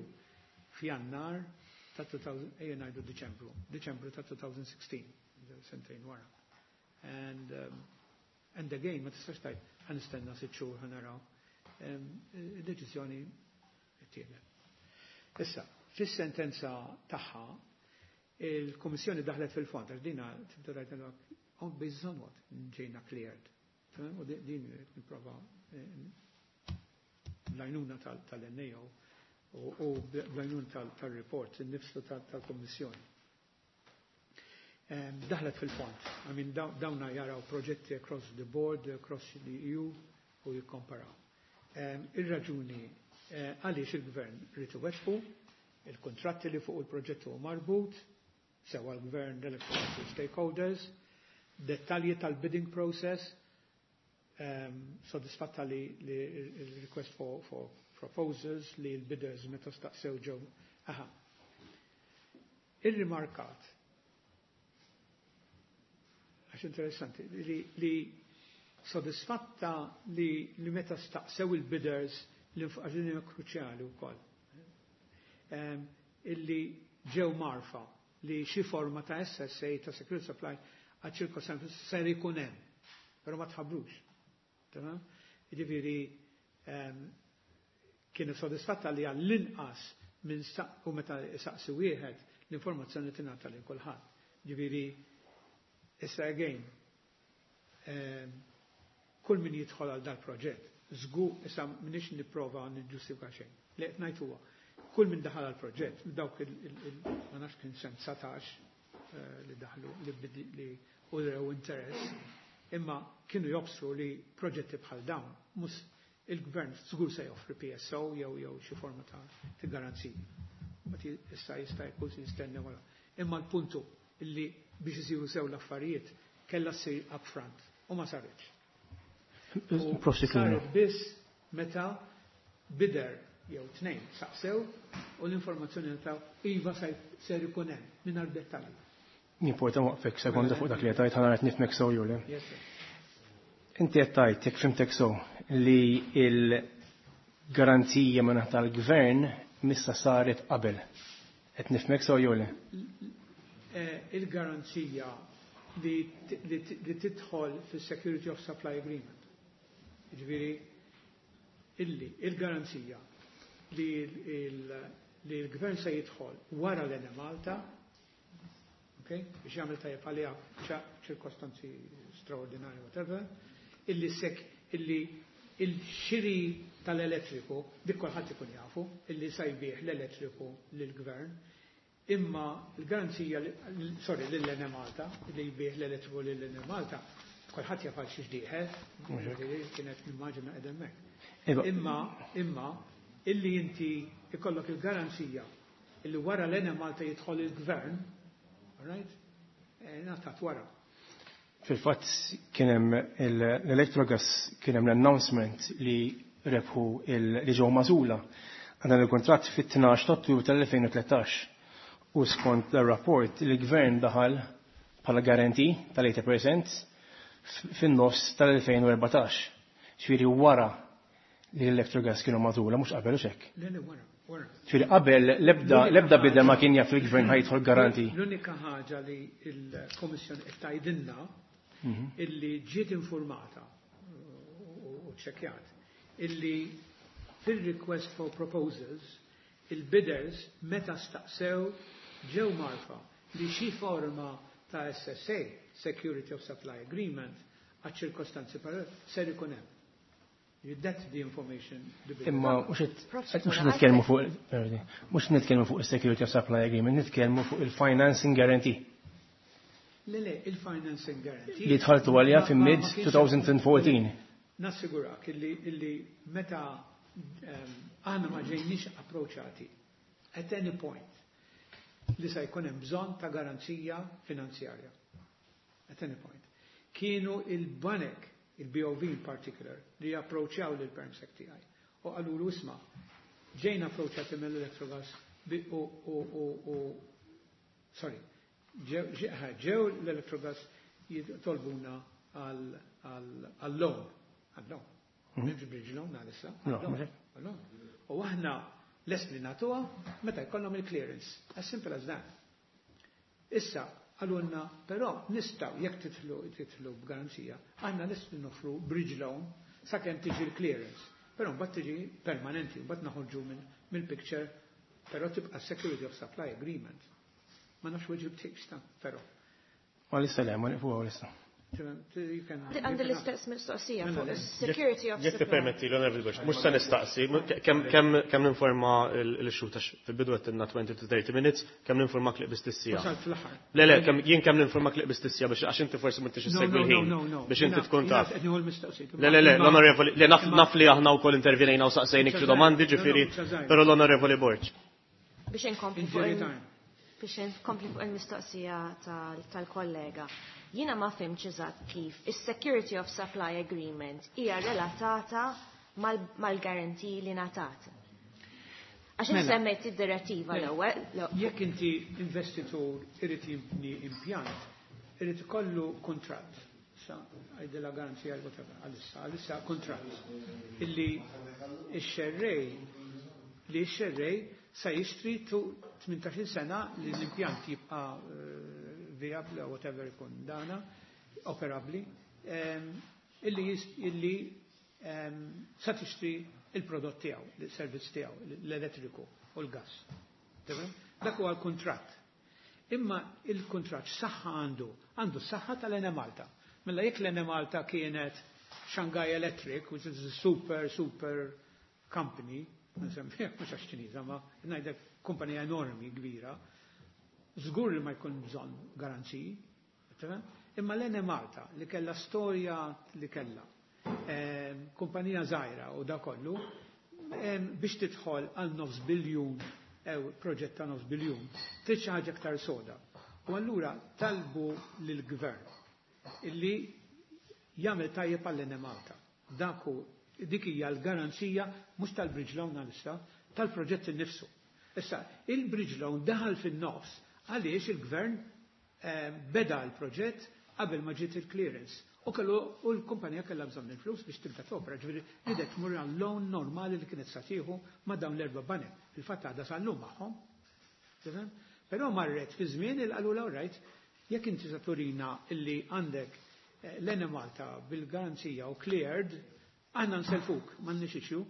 f'Jannar ta' 2000, ejja ngħidu Diċembru, Diċembru ta' 2016, sentejn wara. And again, ma tistax tgħid ħa nistenna 6 xhur ħa naraw. Id-deċiżjoni ttieħdet. Issa, fis-sentenza tagħha, il-Kummissjoni daħlet fil-fond, għax dina tibda tgħid on based on what ġejna cleared. U din nipprova l-għajnuna tal-NAO u bl-għajnuna tal-report, il-nifsu tal-Kommissjoni. Daħlet fil-fond. I mean, dawna jaraw proġetti across the board, across the EU u jikkomparaw. Ir-raġuni għaliex il-gvern ried iwettqu, il-kontratti li fuq il-proġett huwa marbut, sewa l-gvern l-electoral stakeholders, dettalji tal-bidding process, soddisfatta li il-request for proposals li l-bidders meta staqsew ġew. Aha. Ir-rimarkat, għax interessanti, li soddisfatta li meta staqsew il-bidders li għax din hija kruċjali wkoll. Illi ġew marfa li xi forma ta' SSA ta' Security Supply għal ċirkostanzi ser ikun hemm, però ma tħabbrux. Tamam? Jiġifieri kienu sodisfatta li għall-inqas minn u meta saqsi wieħed l-informazzjoni tingħata lil kulħadd. Ġifieri issa again kull min jidħol għal dal-proġett, żgur issa m'iniex nipprova niġġustifika xejn. Li qed ngħid huwa Kull min daħal għal proġett, dawk ma nafx kien sem 19 li daħlu li urew interess, imma kienu jobsru li proġetti bħal dawn mhux il-gvern żgur se joffri PSO jew xi forma ta' garanzija. Mbagħad issa jista' jkun se jistennew wara. Imma l-puntu illi biex isiru sew l-affarijiet kellha ssir upfront u ma saritx. U saret biss meta bidder jew tnejn saqsew u l-informazzjoni ta' iva ser ikun hemm mingħajr dettalji. Nimporta waqfek sekonda fuq dak li qed ħa nara nifhmek sew jew le. Yes, sir. Inti qed tgħid, jekk fhimtek sew, li l-garanzija minn tal-gvern missa saret qabel. Qed nifhmek sew jew le? Il-garanzija li tidħol fis-Security of Supply Agreement. Ġifieri illi il-garanzija li l-gvern se jidħol wara l-Enemalta, okay, biex jagħmel tajjeb għaliha ċirkostanzi straordinarji, whatever, illi sek illi il-xiri tal-elettriku, dik kulħadd ikun jafu, illi se jbigħ l-elettriku lill-gvern, imma l-garanzija, sorry, lill-Enemalta, li jbigħ l-elettriku lill-Enemalta, kulħadd jaf għal xiex dieħel, kienet nimmaġina qed hemmhekk. Imma illi inti ikollok il-garanzija illi wara l-Enemalta jidħol il-gvern, all right, ngħatat wara. Fil-fatt kien hemm l-Electrogas, kien hemm l-announcement li rebħu, li ġew magħżula għal dan il-kontratt fit-12 ta' Ottubru tal-2013 u skont l-rapport il-gvern daħal bħala guarantee tal-80% fin-nofs tal-2014. Ġifieri wara li l-Electrogas kienu magħżula, mhux qabel u xek. Le, wara, wara. Ġifieri qabel l-ebda bidder ma kien jaf il-gvern ħa jidħol guarantee. L-unika ħaġa li l-Komissjoni qed tgħidilna illi ġiet informata u ċekjat illi fil-request for proposals il-bidders meta staqsew ġew mgħarrfa li xi forma ta' SSA, Security of Supply Agreement, għal ċirkostanzi ser ikun hemm. That's the information. Imma mhux nitkellmu fuq il-Security of Supply Agreement, nitkellmu fuq il-Financing Guarantee. Le, il-Financing Guarantee. Li dħaltu għalija fi mid-2014. Nassigurak illi meta aħna ma ġejniex approachati at any point li se jkun hemm bżonn ta' garanzija finanzjarja. At any point. Kienu il-banek, il-BOV in particular, li approachjaw lil permsec tiegħi. U qalulu, "Isma', ġejna approachati mill-Electrogas u sorry, ġew l-Electrogas jitolbuna għal-loan, għal-loan. M'hemmx bridge loan għalissa. Għal-loan. U aħna lest li nagħtuha meta jkollhom il-clearance. As simple as that. Issa, qalulna, però nistgħu, jekk titlu b'garanzija, aħna lest li noffru bridge loan sakemm tiġi l-clearance. Però mbagħad tiġi permanenti, mbagħad naħorġu mill-picture, però tibqa' Security of Supply Agreement. Ma nafx weġibtekx ta', però. Għalissa le, ma niqfu għalissa. Għandi l-istess mistoqsija fuq security of Jekk permetti, l-Onorevoli Borg, mhux se nistaqsi, kemm ninforma l-xuta fil-bidu għedtilna 20 to 30 minutes, kemm ninformak li qbiżt is-siegħa. Le, jien kemm ninformak li qbiżt is-siegħa biex għax inti forsi m'intix issegwi l-ħin. Biex inti tkun taf. Le, le, le, l-Onorevoli, le naf li aħna wkoll intervjenejna u saqsejnik xi domandi, ġifieri, però l-Onorevoli Borg. Biex inkompli fuq il-mistoqsija tal-kollega. Jiena ma fhimtx eżatt kif is-Security of Supply Agreement hija relatata mal-guarantee li ngħatat. Għax mela. Semmejt id-direttiva l-ewwel. Jekk inti investitur irid jibni impjant, irid ikollu kontratt. Sa għajdila garanzija whatever, għalissa kontratt. Illi x-xerrej li x-xerrej sa jixtri tu 18 sena li l-impjant jibqa' viable or whatever ikun dana, operabli, illi sa tixtri il-prodott tiegħu, il-servizz tiegħu, l-elettriku u l-gas. Dak huwa l-kuntratt. Imma il-kuntratt saħħa għandu saħħa tal-Enemalta. Mela jekk l-Enemalta kienet Shanghai Electric, which is a super, super company, Nsemmi, mhux għax Ċiniża, ma ngħidlek kumpanija enormi kbira, żgur li ma jkun bżonn garanziji, tifhem? Imma l-Enemalta li kellha storja li kellha, kumpanija żgħira u da kollu, biex tidħol għal nofs biljun ew proġett ta' nofs biljun, trid xi ħaġa aktar soda. U allura talbu lill-gvern illi jagħmel tajjeb għall-Enemalta. Dak hu dik hija l-garanzija mhux tal-bridge loan għalissa, tal-proġett innifsu. Issa, il-bridge loan daħal fin-nofs għaliex il-gvern beda l-proġett qabel ma ġiet il-clearance. U kellu u l-kumpanija kellha bżonn il-flus biex tibda topera, ġifieri ridet tmur għal loan normali li kienet sa tieħu ma' dawn l-erba' banek. Fil-fatt għadha sal-lum magħhom. Tifhem? Però marret fi żmien il qalulha right, jekk inti sa turina illi għandek l-Enemalta bil-garanzija u cleared, aħna nselfuk, m'għandniex issue,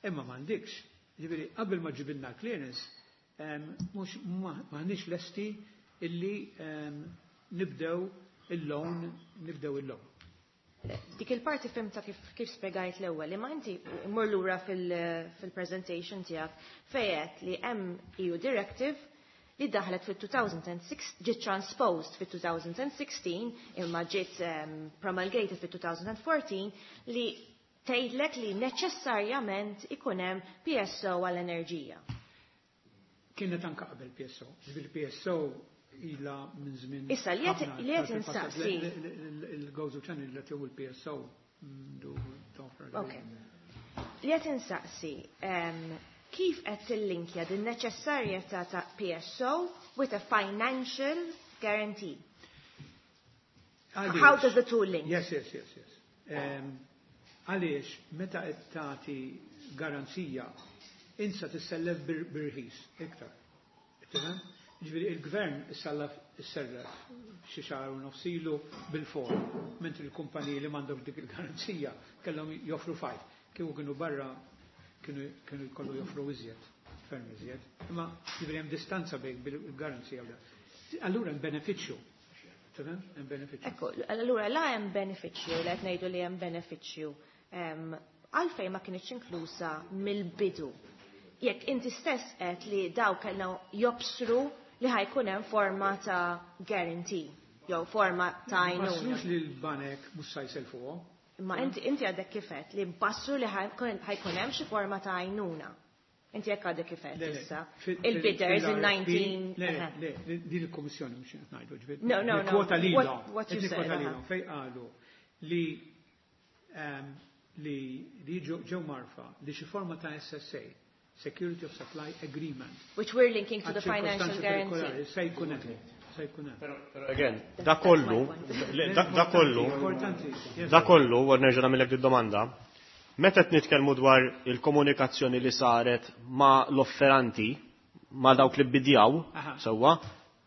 imma m'għandikx. Ġifieri qabel ma ġibilna clearance, mhux m'aħniex lesti illi nibdew il-loan, nibdew il-loan. Dik il-parti fhimtha kif spjegajt l-ewwel, imma inti mur lura fil-presentation tiegħek fejet li hemm EU Directive li daħlet fil-2006, ġiet transposed fil-2016 imma ġiet promulgated fil-2014 li tgħidlek li neċessarjament ikun hemm PSO għall-enerġija. Kienet anka qabel PSO. Ġifieri PSO ila minn żmien. Issa, li qed insaqsi. Il-Gozo Channel li tieħu l-PSO du. Ok. Li qed insaqsi, kif qed tillinkja din neċessarjetà ta' PSO with a financial guarantee? How does the two link? Yes. Għaliex, meta qed tagħti garanzija, insa tissellef birħis, iktar. Tifhem? Ġifieri il-gvern issallaf isserref xi xahar u nofs ilu bil-four, mentri l-kumpaniji li m'għandhom dik il-garanzija kellhom joffru 5. Kieku kienu barra kienu jkollu joffru iżjed, ferm iżjed. Imma ġifieri hemm distanza bejn bil-garanzija u da. Allura hemm benefiċċju. Tifhem? Hemm benefiċċju. Ekku, allura la hemm benefiċċju, li qed ngħidu li hemm benefiċċju. Għalfejn ma kienx inklusa mill-bidu? Jekk inti stess qed li daw kellhom jobsru li ħa jkun hemm forma ta' guarantee jew forma ta' għajnuna. Bassrux li l-banek mhux sa jselfuhom. Imma inti għadek kif għedt li bassru li ħa jkun hemm xi forma ta' għajnuna. Inti jekk għadek kif għedt Le, le, issa. Il-bidders in fil-RFP 19. Le, le, din il-Kommissjoni mhux qed ngħidu, ġifieri. No, no, no. Kwota lilhom. What you Qed said, nikkwota aha. lilhom fejn qalu li ġew marfa li xi forma ta' SSA, Security of Supply Agreement. Which we're linking to the financial guarantee. Se jkun hemm. Se jkun hemm. Però again, da kollu, le, da kollu, Importanti. Yes. da kollu, u nerġa' nagħmilek di domanda, meta qed nitkellmu dwar il-komunikazzjoni li saret ma' l-offeranti, ma' dawk li bidjaw, sewwa,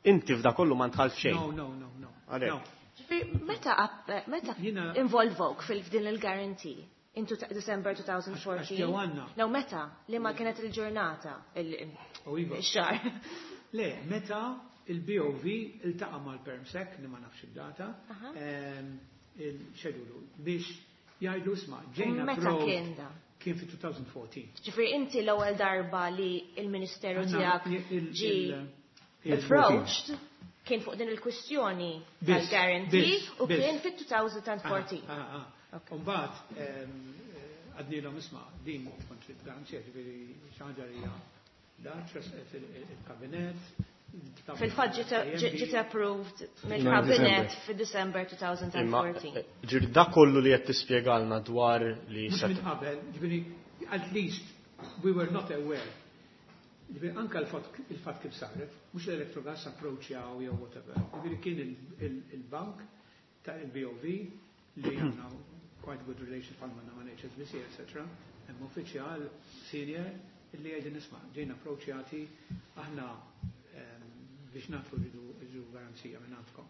inti f'da kollu ma ndħalt xejn. No, no, no, no. Għalhekk. No. Ġifieri, meta involvok fil-din il-guarantee? Into December 2014. Għax ġew għandna. No, meta? Li ma kienet il-ġurnata? U iva. Il-xahar. Le, meta il-BOV iltaqa' mal-Permsec, li ma nafx id-data, il-xedulu, biex jgħidu isma' ġejna Meta approved. kien da? Kien fi 2014. Ġifieri inti l-ewwel darba li il-Ministeru Għanna tiegħek ġi approached kien fuq din il-kwistjoni tal-guarantee u kien fit-2014. Ah. Umbagħad għednielhom isma' din kont garanzija, ġifieri xi ħaġa li hija da tressqet il-kabinet. Fil-fatt ġiet approved mill-kabinet fi-December Imma, 2014. ġifieri da kollu li qed tispjegalna dwar li Mhux set minn qabel, ġifieri at least we were not aware. Ġifieri anka il-fatt kif saret, mhux l-Electrogas approachjaw jew whatever. Ġifieri kien il-bank ta' il-BOV li għandna quite good relations bħalma għandna ma' HSBC, etc. Hemm uffiċjal senior illi jgħidin isma' ġejna approachjati aħna biex nagħtu rridu garanzija minn għandkom.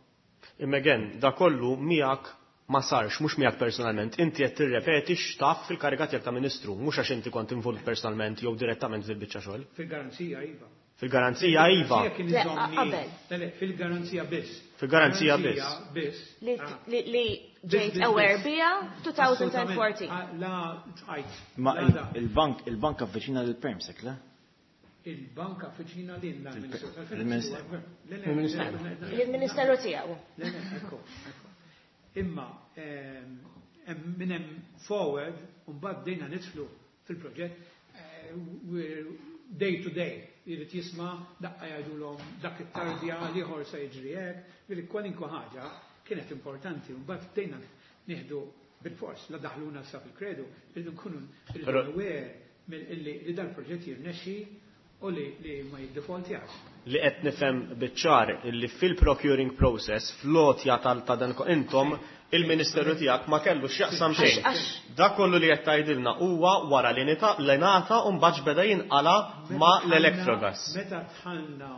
Imma again, da kollu miegħek ma sarx, mhux miegħek personalment, inti qed tirrepeti x'taf fil-kariga tiegħek ta' ministru, mhux għax inti kont involut personalment jew direttament fil-biċċa xogħol. Fil-garanzija, iva. Fil-garanzija iva. Kien Le, iżommni- qabel. Le, le, fil-garanzija biss. Fil-garanzija biss. Li, Ah. li, li Biss, ġejt biss, aware biss. bija 2014. Assolutament. Ah, La tqajt. Ma La da. il-bank il-bank avviċina lill-Permsec, le? Il-bank avviċina lilna l-Ministru Il-Ministru. tal-Finanzi. Le, le, Lill-Ministeru tiegħu. Le, le, ekku, ekku. Imma hemm minn hemm forward u mbagħad bdejna nidħlu fil-proġett we're day to day. Jrid jisma' daqqa jgħidulhom dak it-tardja l-ieħor se jiġri hekk, ġifieri kwalinkwa ħaġa kienet importanti u mbagħad bdejna nieħdu bil-fors la daħluna sa fil-kredu, rridu nkunu rridu Però- aware mill- li dal-proġett jirnexxi u li ma jiddefaultjax. Li qed nifhem biċ-ċar illi fil-procuring process, fl-għotja tal ta' dan intom il-Ministeru tiegħek ma kellu x'jaqsam xejn. Għax- Dak kollu li qed tgħidilna huwa wara li nita li ngħata u mbagħad beda jinqala ma' l-Electrogas. Meta dħalna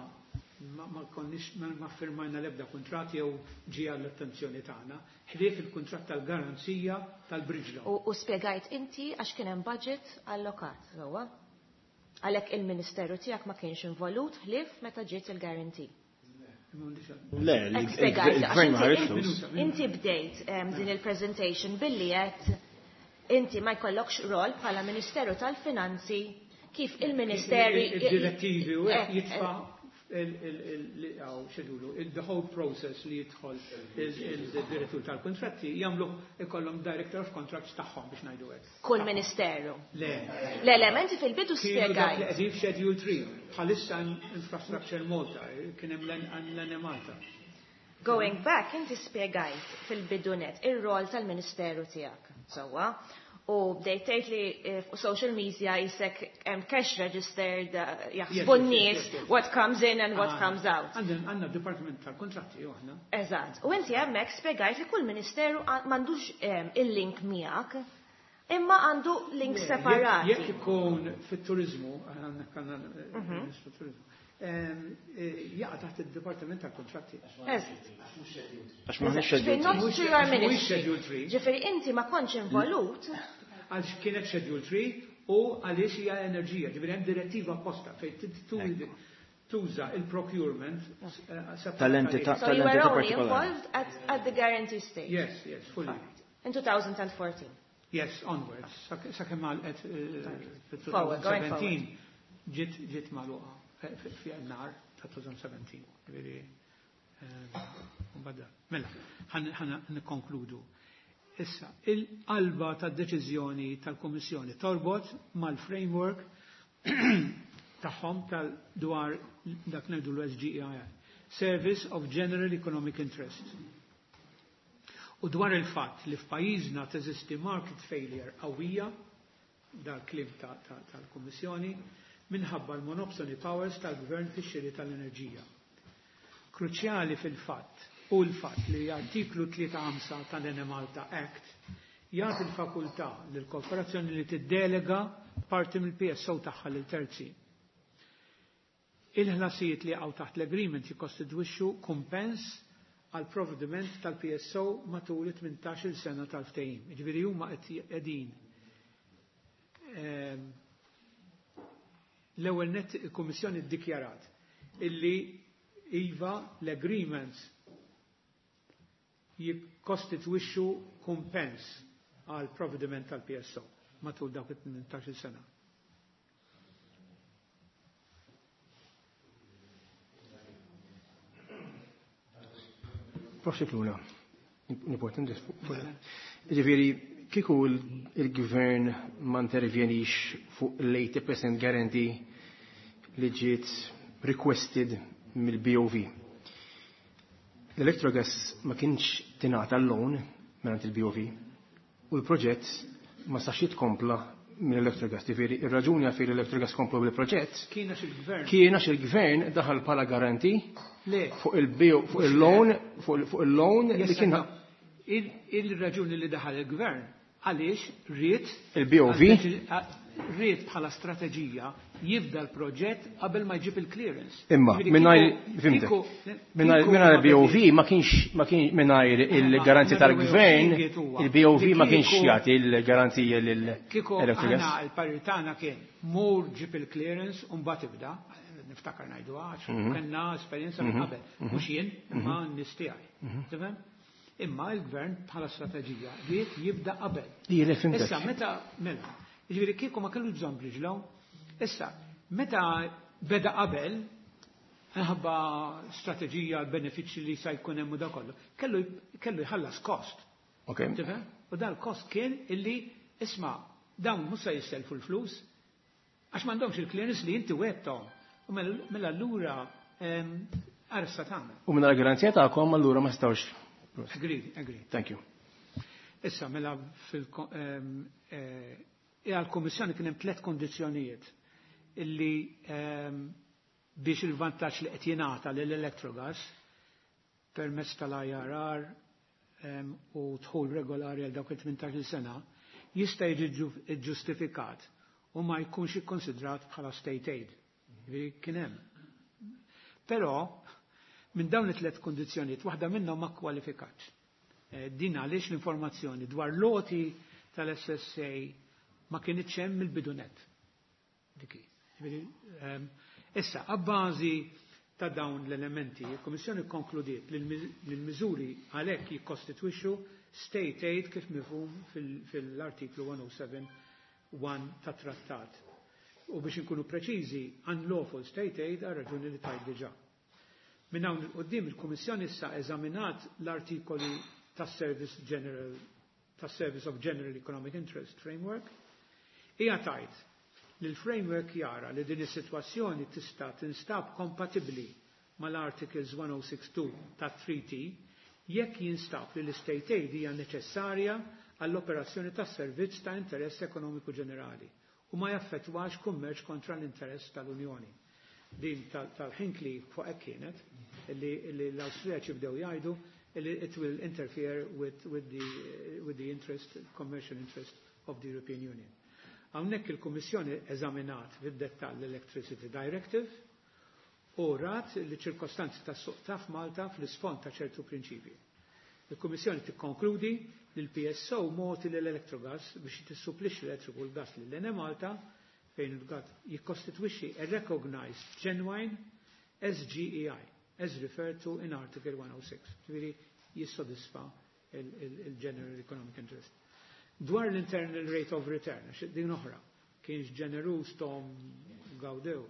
ma konniex ma firmajna l-ebda kuntratt jew ġie għall-attenzjoni tagħna, ħlief il-kuntratt tal-garanzija tal-bridge loan. U spjegajt inti għax kien hemm budget allokat, sewwa? Għalhekk il-Ministeru tiegħek ma kienx involut ħlief meta ġiet il-guarantee. Le, Hekk spjegajt, għax il-gvern ma ħareġ inti- flus. Inti bdejt din il-presentation billi qed inti ma jkollokx rol bħala Ministeru tal-Finanzi kif il-Ministeri Il-direttivi u hekk jitfa' xedulu, the whole process li jidħol il-direttur tal-kontratti jagħmlu ikollhom director of contracts tagħhom biex ngħidu hekk. Kull ministeru. Le. Le, le, ma inti fil-bidu Kienu dak li spjegajt. qegħdin f'Schedule 3, bħalissa Infrastructure Malta, kien hemm l-Enemalta. Going back, inti spjegajt fil-bidunet ir-rol tal-Ministeru tiegħek, sewwa. U bdejt tgħid li fuq social media jisek hemm cash registered jaħsbu Yes, yes, n-nies yes, yes. what comes in and what Ah, comes out. Għandna Department tal-Kontratti u aħna. Eżatt. U inti hemmhekk spjegajt li kull ministeru m'għandux il-link miegħek, imma għandu link separati. Jekk ikun fit-turizmu, għandna kanna Ministru Turizmu, jaqa' taħt il-Dipartiment tal-Kontratti. Eżatt. Għax m'aħniex Ġifieri schedule not Mhux- through your għax mhuwiex ministry. Schedule three. Ġifieri inti ma kontx involut. Għalx kienet Schedule 3 u għaliex hija enerġija, ġifieri hemm direttiva apposta fejn tuża il-procurement separat Tal-entità. għalih. So you were Tal-entità only partikolari. involved at the guarantee stage. Yes, fully. In 2014. Yes, onwards. Sakemm għalqet Forward, going fil-2017 ġiet magħluqa fi nar ta' 2017. Ġifieri, mbagħad. Mela, ħa nikkonkludu. Issa, il-qalba tad-deċiżjoni tal-Kummissjoni torbot mal-framework tagħhom tal-dwar dak ngħidu l-SGEI, Service of General Economic Interest. U dwar il-fatt li f'pajjiżna teżisti market failure qawwija, dal-kliem tal-Kummissjoni, minħabba l-monopsony powers tal-Gvern fix-xiri tal-enerġija. Kruċjali fil-fatt u l-fatt li artiklu 3.5 tal-Enemalta Act jagħti l-fakultà lill-korporazzjoni li tiddelega parti mill-PSO tagħha lil terzi. Il-ħlasijiet li jaqgħu taħt l-agreement jikkostitwixxu kumpens għal provvediment tal-PSO matul it-18 sena tal-ftehim. Jiġifieri huma qed qegħdin l-ewwel net il-Kummissjoni ddikjarat illi iva l-agreements jikkostitwixxu kumpens għal provvediment tal-PSO matul dawk it-18 sena. Prof. Scicluna, importanti Ġifieri, kieku il-gvern ma intervjenix fuq l-80% guarantee li ġiet requested mill-BOV. L-Electrogas ma kienx tingħata l-loan mingħand il-BOV u l-proġett ma sax jitkompla mill-Electrogas. Ġifieri, ir-raġuni għalfejn l-Electrogas komplu bil-proġett Kien għax il-gvern. kien għax il-gvern daħal bħala garanti Le. fuq il-bio, fuq il-loan, fuq il-loan li Yes, kien no. Il-raġuni li daħal il-gvern għaliex ried Il-BOV? Ried bħala strateġija jibda l-proġett qabel ma jġib il-clearance. Imma, Ġifieri mingħajr, fimtek, kieku mingħajr ma il-BOV bediet- ma kienx, ma kienx mingħajr il-garanzija Ma tal-gvern, il-BOV huwa il-BOV li ma kienx kieku- jagħti il-garanzija Kieku lill-Electrogas. aħna il-parir tagħna kien mur ġib il-clearance u mbagħad ibda. Niftakar ngħidu għax, kellna esperjenza minn qabel. Mhux jien, imma n-nies tiegħi. Tifhem? Imma l-gvern bħala strateġija ried jibda qabel. Issa meta mela, jiġifieri kieku ma kellu bżonn bridge loan, issa meta beda qabel minħabba strateġija l-benefiċċji li sa jkun hemm u da kollu, kellu jħallas kost. Tifhem? U dal-kost kien illi isma' dawn mhux se jisselfu l-flus għax m'għandhomx il-clearance li inti wegħedthom. U mela allura ara sa tagħmel. U minn garanzija tagħkom allura ma stawx. Agree, agree. Thank you. Issa mela fil għal-Kummissjoni kien hemm tliet kondizzjonijiet illi biex il-vantaġġ li qed jingħata lill-Electrogas permezz tal-IRR u dħul regolari għal dawk il-18 sena jista' jiġi ġustifikat u ma jkunx ikkonsidrat bħala state aid. Jiġifieri kien hemm. Però minn dawn it-tliet kondizzjonijiet waħda minnhom ma kwalifikatx. Din għaliex l-informazzjoni dwar l-għoti tal-SSA ma kienitx hemm mill-bidu nett. Dik hi. Jiġifieri, issa, abbażi ta' dawn l-elementi, il-Kummissjoni konkludiet li l-miżuri għalhekk jikkostitwixxu state aid kif mifhum fil-artiklu 107.1 ta' trattat. U biex inkunu preċiżi, unlawful state aid għal raġuni li tajt diġà. Minn hawn il-qoddim il-Kummissjoni issa eżaminat l-artikoli tas-Service General tas-Service of General Economic Interest Framework. Hija tajt li l-framework jara li din is-sitwazzjoni tista' tinstab kompatibbli mal-Articles 1062 tat-Treaty jekk jinstab li l-state aid hija neċessarja għall-operazzjoni tas-servizz ta' interess ekonomiku ġenerali u ma jaffettwax kummerċ kontra l-interess tal-Unjoni. Din tal-Hinkley fuq hekk kienet li l-Awstrijaċi bdew jgħidu li it will interfere with the interest, commercial interest of the European Union. Hawnhekk il-Kummissjoni eżaminat fid-dettall l-Electricity Directive u rat li ċirkostanzi tas suq ta' f'Malta fl-isfond ta' ċertu prinċipji. Il-Kummissjoni tikkonkludi li l-PSO mogħti l-Electrogas biex tissupplixxi l-elettriku u l-gas lil Enemalta fejn il-gas jikkostitwixxi a recognized genuine SGEI as referred to in Article 106. Ġifieri jissodisfa il-General Economic Interest. Dwar l-internal rate of return, għax din oħra, kienx ġenerus tom gawdew,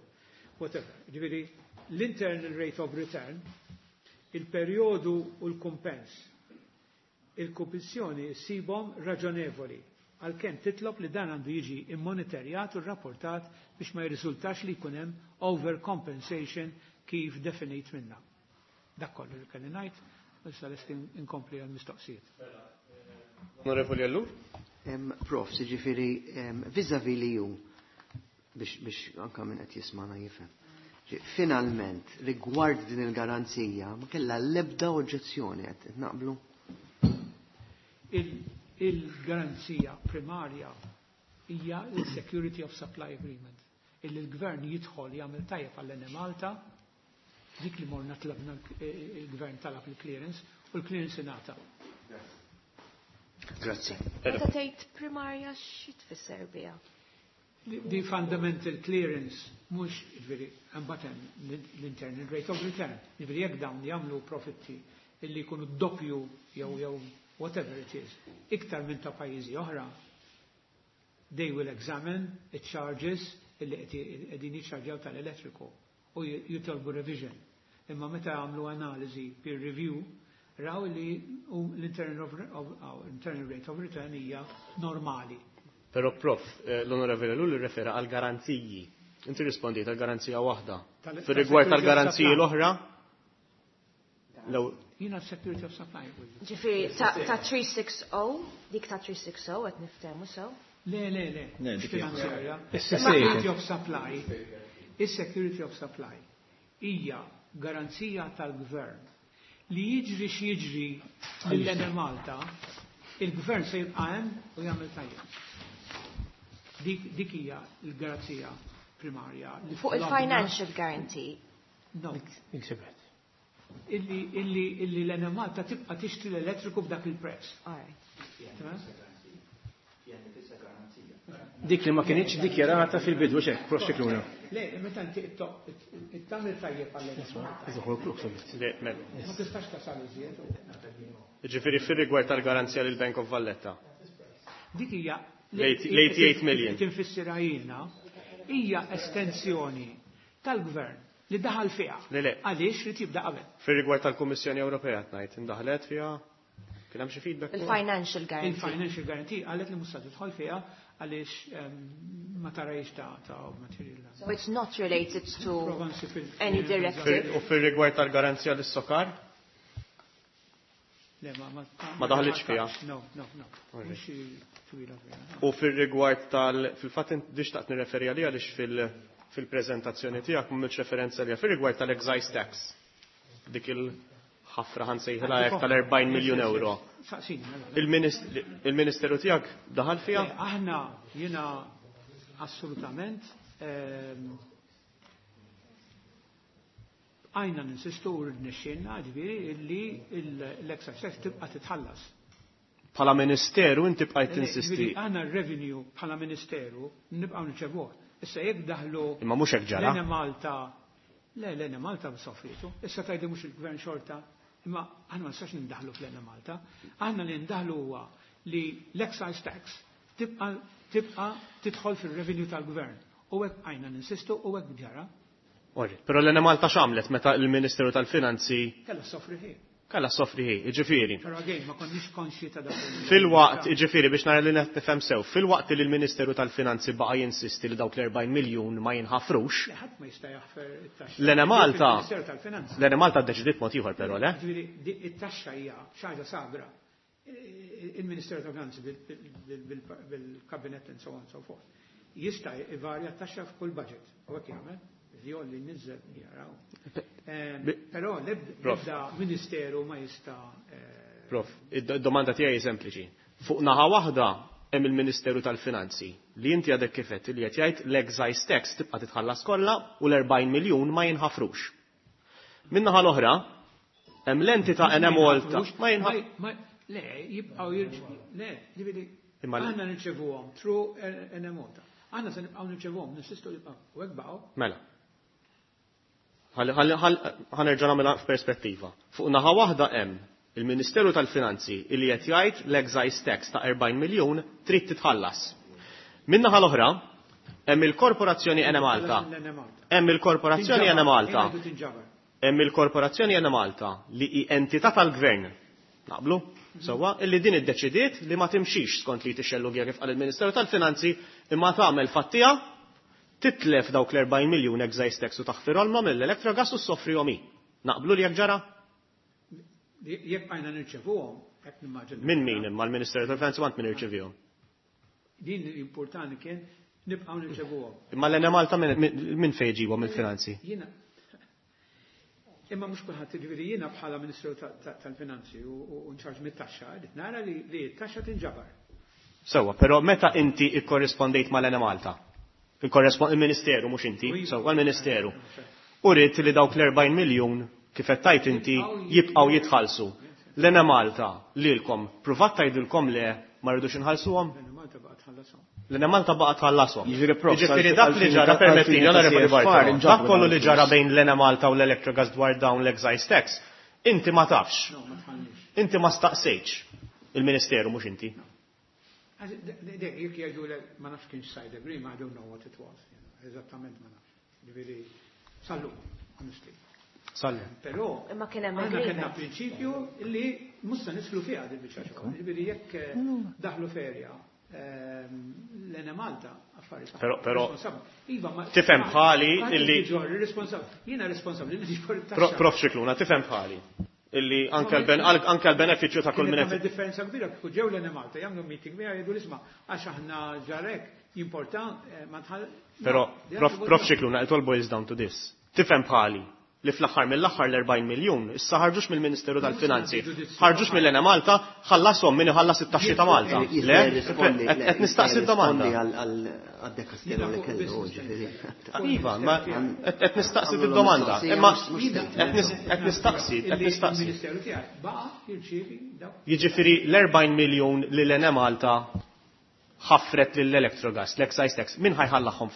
whatever. Ġifieri, l-internal rate of return, il-periodu u l-kumpens, il-Kummissjoni ssibhom raġonevoli għalkemm titlob li dan għandu jiġi immonitorjat u rapportat biex ma jirriżultax li jkun hemm overcompensation kif definit minna. Dak kollu li kelli ngħid, issa lest inkompli għal-mistoqsijiet. Onorevoli Ellul? Prof, ġifieri, vis-a-vis li ju, biex anka minn qed jismana jifhem. Finalment, rigward din il-garanzija, ma kella l-ebda oġġezzjoni qed naqblu? Il-garanzija primarja hija il-Security of Supply Agreement. Illi l-gvern jidħol jagħmel tajjeb għall Malta, dik li morna tlabna il-gvern talab il-clearance u l-clearance ingħata. Grazzi. Meta tgħid primarja xi tfisser biha? The fundamental clearance mhux ġifieri imbagħad hemm l-internal rate of return. Ġifieri jekk dawn jagħmlu profitti illi jkunu doppju jew whatever it is, iktar minn ta' pajjiżi oħra, they will examine the charges illi qegħdin jiċċarġjaw tal-elettriku u jitolbu revision. Imma meta għamlu analiżi peer review, raw li l-internal rate of return hija normali. Però prof, l-Onorevoli Ellul refera għal garanziji. Inti rispondejt għal garanzija waħda. Fir-rigward tal-garanziji l-oħra? Jiena security of supply. Ġifieri ta' 360, dik ta' 360 qed niftehmu sew? Le, le, le. Le, dik hija. Finanzjarja. Is-security Security of supply. Is-security of supply hija garanzija tal-gvern li jiġri x'jiġri lill-Enemalta, il-gvern se jibqa' hemm u jagħmel tajjeb. Dik hija l-garanzija primarja. li Fuq il-financial guarantee. No. Iksibet. Illi l-Enemalta tibqa' tixtri l-elettriku b'dak il-prezz. All right. Tamam? Dik li ma kienx dikjarata fil-bidu xek, Prof Scicluna. Le, meta inti tagħmel tajjeb għall Le, mela. Ma tistax tasal iżjed. Ġifieri fir-rigward tal-garanzija lil Bank of Valletta. Dik hija L-88 million. Tinfissira jiena hija estensjoni tal-gvern li daħal fiha. Le, le. Għaliex li tibda qabel. Fir-rigward tal-Kummissjoni Ewropea tgħid indaħlet fiha kien hemm xi feedback? Il-financial guarantee. Il-financial guarantee qalet li mhux se tidħol fiha għaliex ma tarajx ta' material. So it's not related to Prova nsib il- any directive. U fir-rigward tal-garanzija lis-sokar? Le, ma ma Ma daħlitx fiha. No, no, no. Mhux twila fiha. U fir-rigward tal fil-fatt int xtaqt nirreferi għalija għaliex fil-preżentazzjoni tiegħek m'għamilx referenza għalija fir-rigward tal-excise tax. Dik il-ħafra ħansejħilha hekk tal-40 miljun euro. Saqsini, mela. Il-Ministeru tiegħek daħal fiha? Le, Aħna jiena assolutament għajna ninsistu u rnexxielna ġifieri illi l-excise tax tibqa' titħallas. Bħala Ministeru inti bqajt tinsisti. Ġifieri aħna r-revenue bħala Ministeru nibqgħu nirċevuh. Issa jekk daħlu Imma mhux hekk ġara. l-Enemalta, le l-Enemalta soffritu, issa tgħidu mhux il-gvern xorta, imma aħna ma nistax nindaħlu fl-Enemalta. Aħna li ndaħlu huwa li l-excise tax tibqa' tidħol fir-revenue tal-gvern. U hekk għajna ninsistu u hekk ġara. Orri, Però l-Enemalta x'għamlet meta l-Ministeru tal-Finanzi Kellha soffri ħin. kellha soffri hi, jiġifieri. Però again ma konniex konxji ta' dak. Fil-waqt, jiġifieri biex nara li nifhem sew, fil-waqt li l-Ministeru tal-Finanzi baqa' jinsisti li dawk l-40 miljun ma jinħafrux, Le, ħadd ma jista' jaħfer it-taxxa. l-Enemalta Il-Ministeru tal-Finanzi. l-Enemalta ddeċidiet mod ieħor però, le? Ġifieri, di- it-taxxa hija xi ħaġa sagra. Il-Ministeru tal-Finanzi bil-kabinet and so on and so forth. Jista' ivarja t-taxxa f'kull budget. U hekk jagħmel, jolli niżel jaraw. Però Prof. l-ebda ministeru ma jista' Prof, id-domanda tiegħi hi sempliċi. Fuq naħa waħda hemm il-Ministeru tal-Finanzi li inti għadek kif għedt li qed jgħid l-excise tax tibqa' titħallas kollha u l-40 miljun ma jinħafrux. Min-naħa l-oħra hemm l-entità Enemalta ma jinħaf Le, jibqgħu jirċ- Le, ġifieri Imma l- aħna nirċevuhom through Enemalta. Aħna se nibqgħu nirċevuhom, ninsistu li jibqgħu. U hekk baqgħu. Mela. Ħanerġa' nagħmilha f'perspettiva. Fuq naħa waħda hemm il-Ministeru tal-Finanzi li qed jgħid l-excise tax ta' 40 miljun trid titħallas. Min-naħa l-oħra hemm il-Korporazzjoni Enemalta. L-Enemalta. Hemm il-Korporazzjoni Enemalta. Jgħidu tinġabar. Hemm il-Korporazzjoni Enemalta li hi entità tal-Gvern. Naqblu? Sewwa, illi din iddeċidiet li ma timxix skont li tixxellugja kif qal il-Ministeru tal-Finanzi imma tagħmel fattija titlef dawk l-40 miljun excise tax u taħfirhom mill-Electrogas u soffrihom hi. Naqblu li jekk ġara? Jekk għajna nirċevuhom, hekk nimmaġina. Min min imma l-Ministeru tal-Finanzi m'għand min irċevihom. Din importanti kien nibqgħu nirċevuhom. Imma l-Enemalta min fejn ġibhom il-finanzi? Jiena Imma mhux kulħadd jiġifieri jiena bħala Ministru tal-Finanzi u nċarġ mit-taxxa, qed nara li t-taxxa tinġabar. Sewwa, però meta inti ikkorrispondejt mal-Enemalta? Il-Ministeru mhux inti, sewwa l-Ministeru. U ridt li dawk l-40 miljun kif qed tajt inti jibqgħu jitħallsu. L-Enemalta lilkom pruvat tgħidilkom le ma rridux inħallsuhom? L-Enemalta baqgħet tħallashom. L-Enemalta baqgħet tħallashom. Jiġifieri, prof, Jiġifieri dak li ġara permettili, għalfejn onorevoli ta' CFR Bartolo, inġabru dak kollu li dawn ġara il-flus. bejn l-Enemalta u l-Electrogas dwar dawn l-excise tax, inti ma tafx. No, ma tħallix. Inti ma staqsejtx. Il-Ministeru mhux inti. Jekk jgħidu le ma nafx kienx side agreement, I don't know what it was. Eżattament ma nafx. Ġifieri, sallu, honestly. Sallu. Però Imma kien hemm aħna kellna agreement. prinċipju li mhux se nidħlu fiha din biċċa xogħol. Ġifieri jekk daħlu ferja l-Enemalta affarijiet. Però- Responsabbli. Iva, ma Tifhem bħali ma- illi- tiġor, responsabbli. Jiena responsabbli li tiġor it-taxxa. Prof Scicluna, tifhem bħali. Illi anke l-benefiċċju ta' kull Kienet min tagħmel qed differenza kbira kieku ġew l-Enemalta jagħmlu meeting miegħi jgħidu l-isma' għax aħna ġarek jimporta ma tħall. Però No, they Prof have to go Prof down. Scicluna, it all boils down to this. Tifhem bħali li fl-aħħar mill-aħħar l-40 miljun issa ħarġux mill-Ministeru tal-Finanzi, ħarġux mill-Enemalta, ħallashom min iħallas it-taxxi ta' Malta. Le, qed nistaqsi d-domanda. Għad-dekasteru li kellu, ġifieri. Iva, ma qed nistaqsi d-domanda. Imma qed nistaqsi, qed Illi nistaqsi. Il-Ministeru tiegħi baqa' jirċievi dawk. Jiġifieri l-40 miljun li l-Enemalta ħaffret lill-Electrogas, l-excise tax, min ħa jħallasom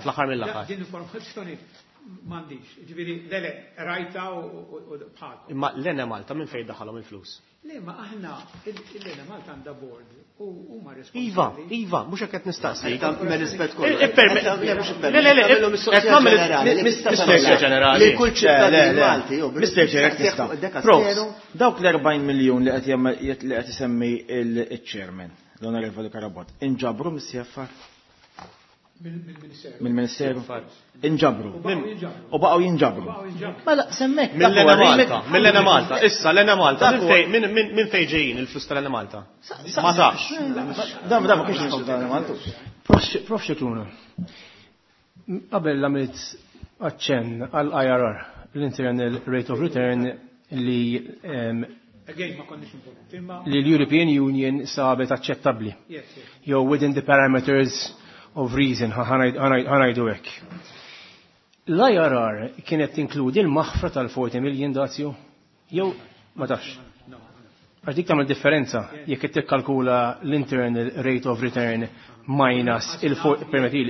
fl-aħħar mill-aħħar? Din informazzjoni m'għandix. Ġifieri, le, rajta u bħalkom. Imma l-Enemalta minn fejn daħalhom il-flus? Le, ma aħna, l-Enemalta għandha board u huma responsabbli. Iva, iva, mhux hekk qed nistaqsi. Me rispett kollu. Le, le, le, qed nagħmel mistoqsija ġenerali. Lil kull ċittadin Malti. Mr. Chair, tista'. Prof, dawk l-40 miljun li qed isemmi il-chairman, l-Onorevoli Carabott, inġabru mis-CFR? Mill-Ministeru. Mill-Ministeru. Inġabru. U baqgħu jinġabru. Mela semmek. Mill-Enemalta, mill-Enemalta, issa l-Enemalta, minn fejn ġejjin il-flus tal-Enemalta? Ma tafx. Dan ma kienx il-flus tal-Enemalta. Prof Scicluna, qabel għamilt aċċenn għall-IRR, l-Internal Rate of Return li Again, ma konniex involuti, imma li l-European Union sabet aċċettabbli. Yes, yes. Jew within the parameters of reason, ħa ngħidu hekk. L-IRR kienet tinkludi l-maħfra tal-40 million dazju? Jew ma tafx. Għax dik tagħmel differenza jekk qed tikkalkula l-internal rate of return minus il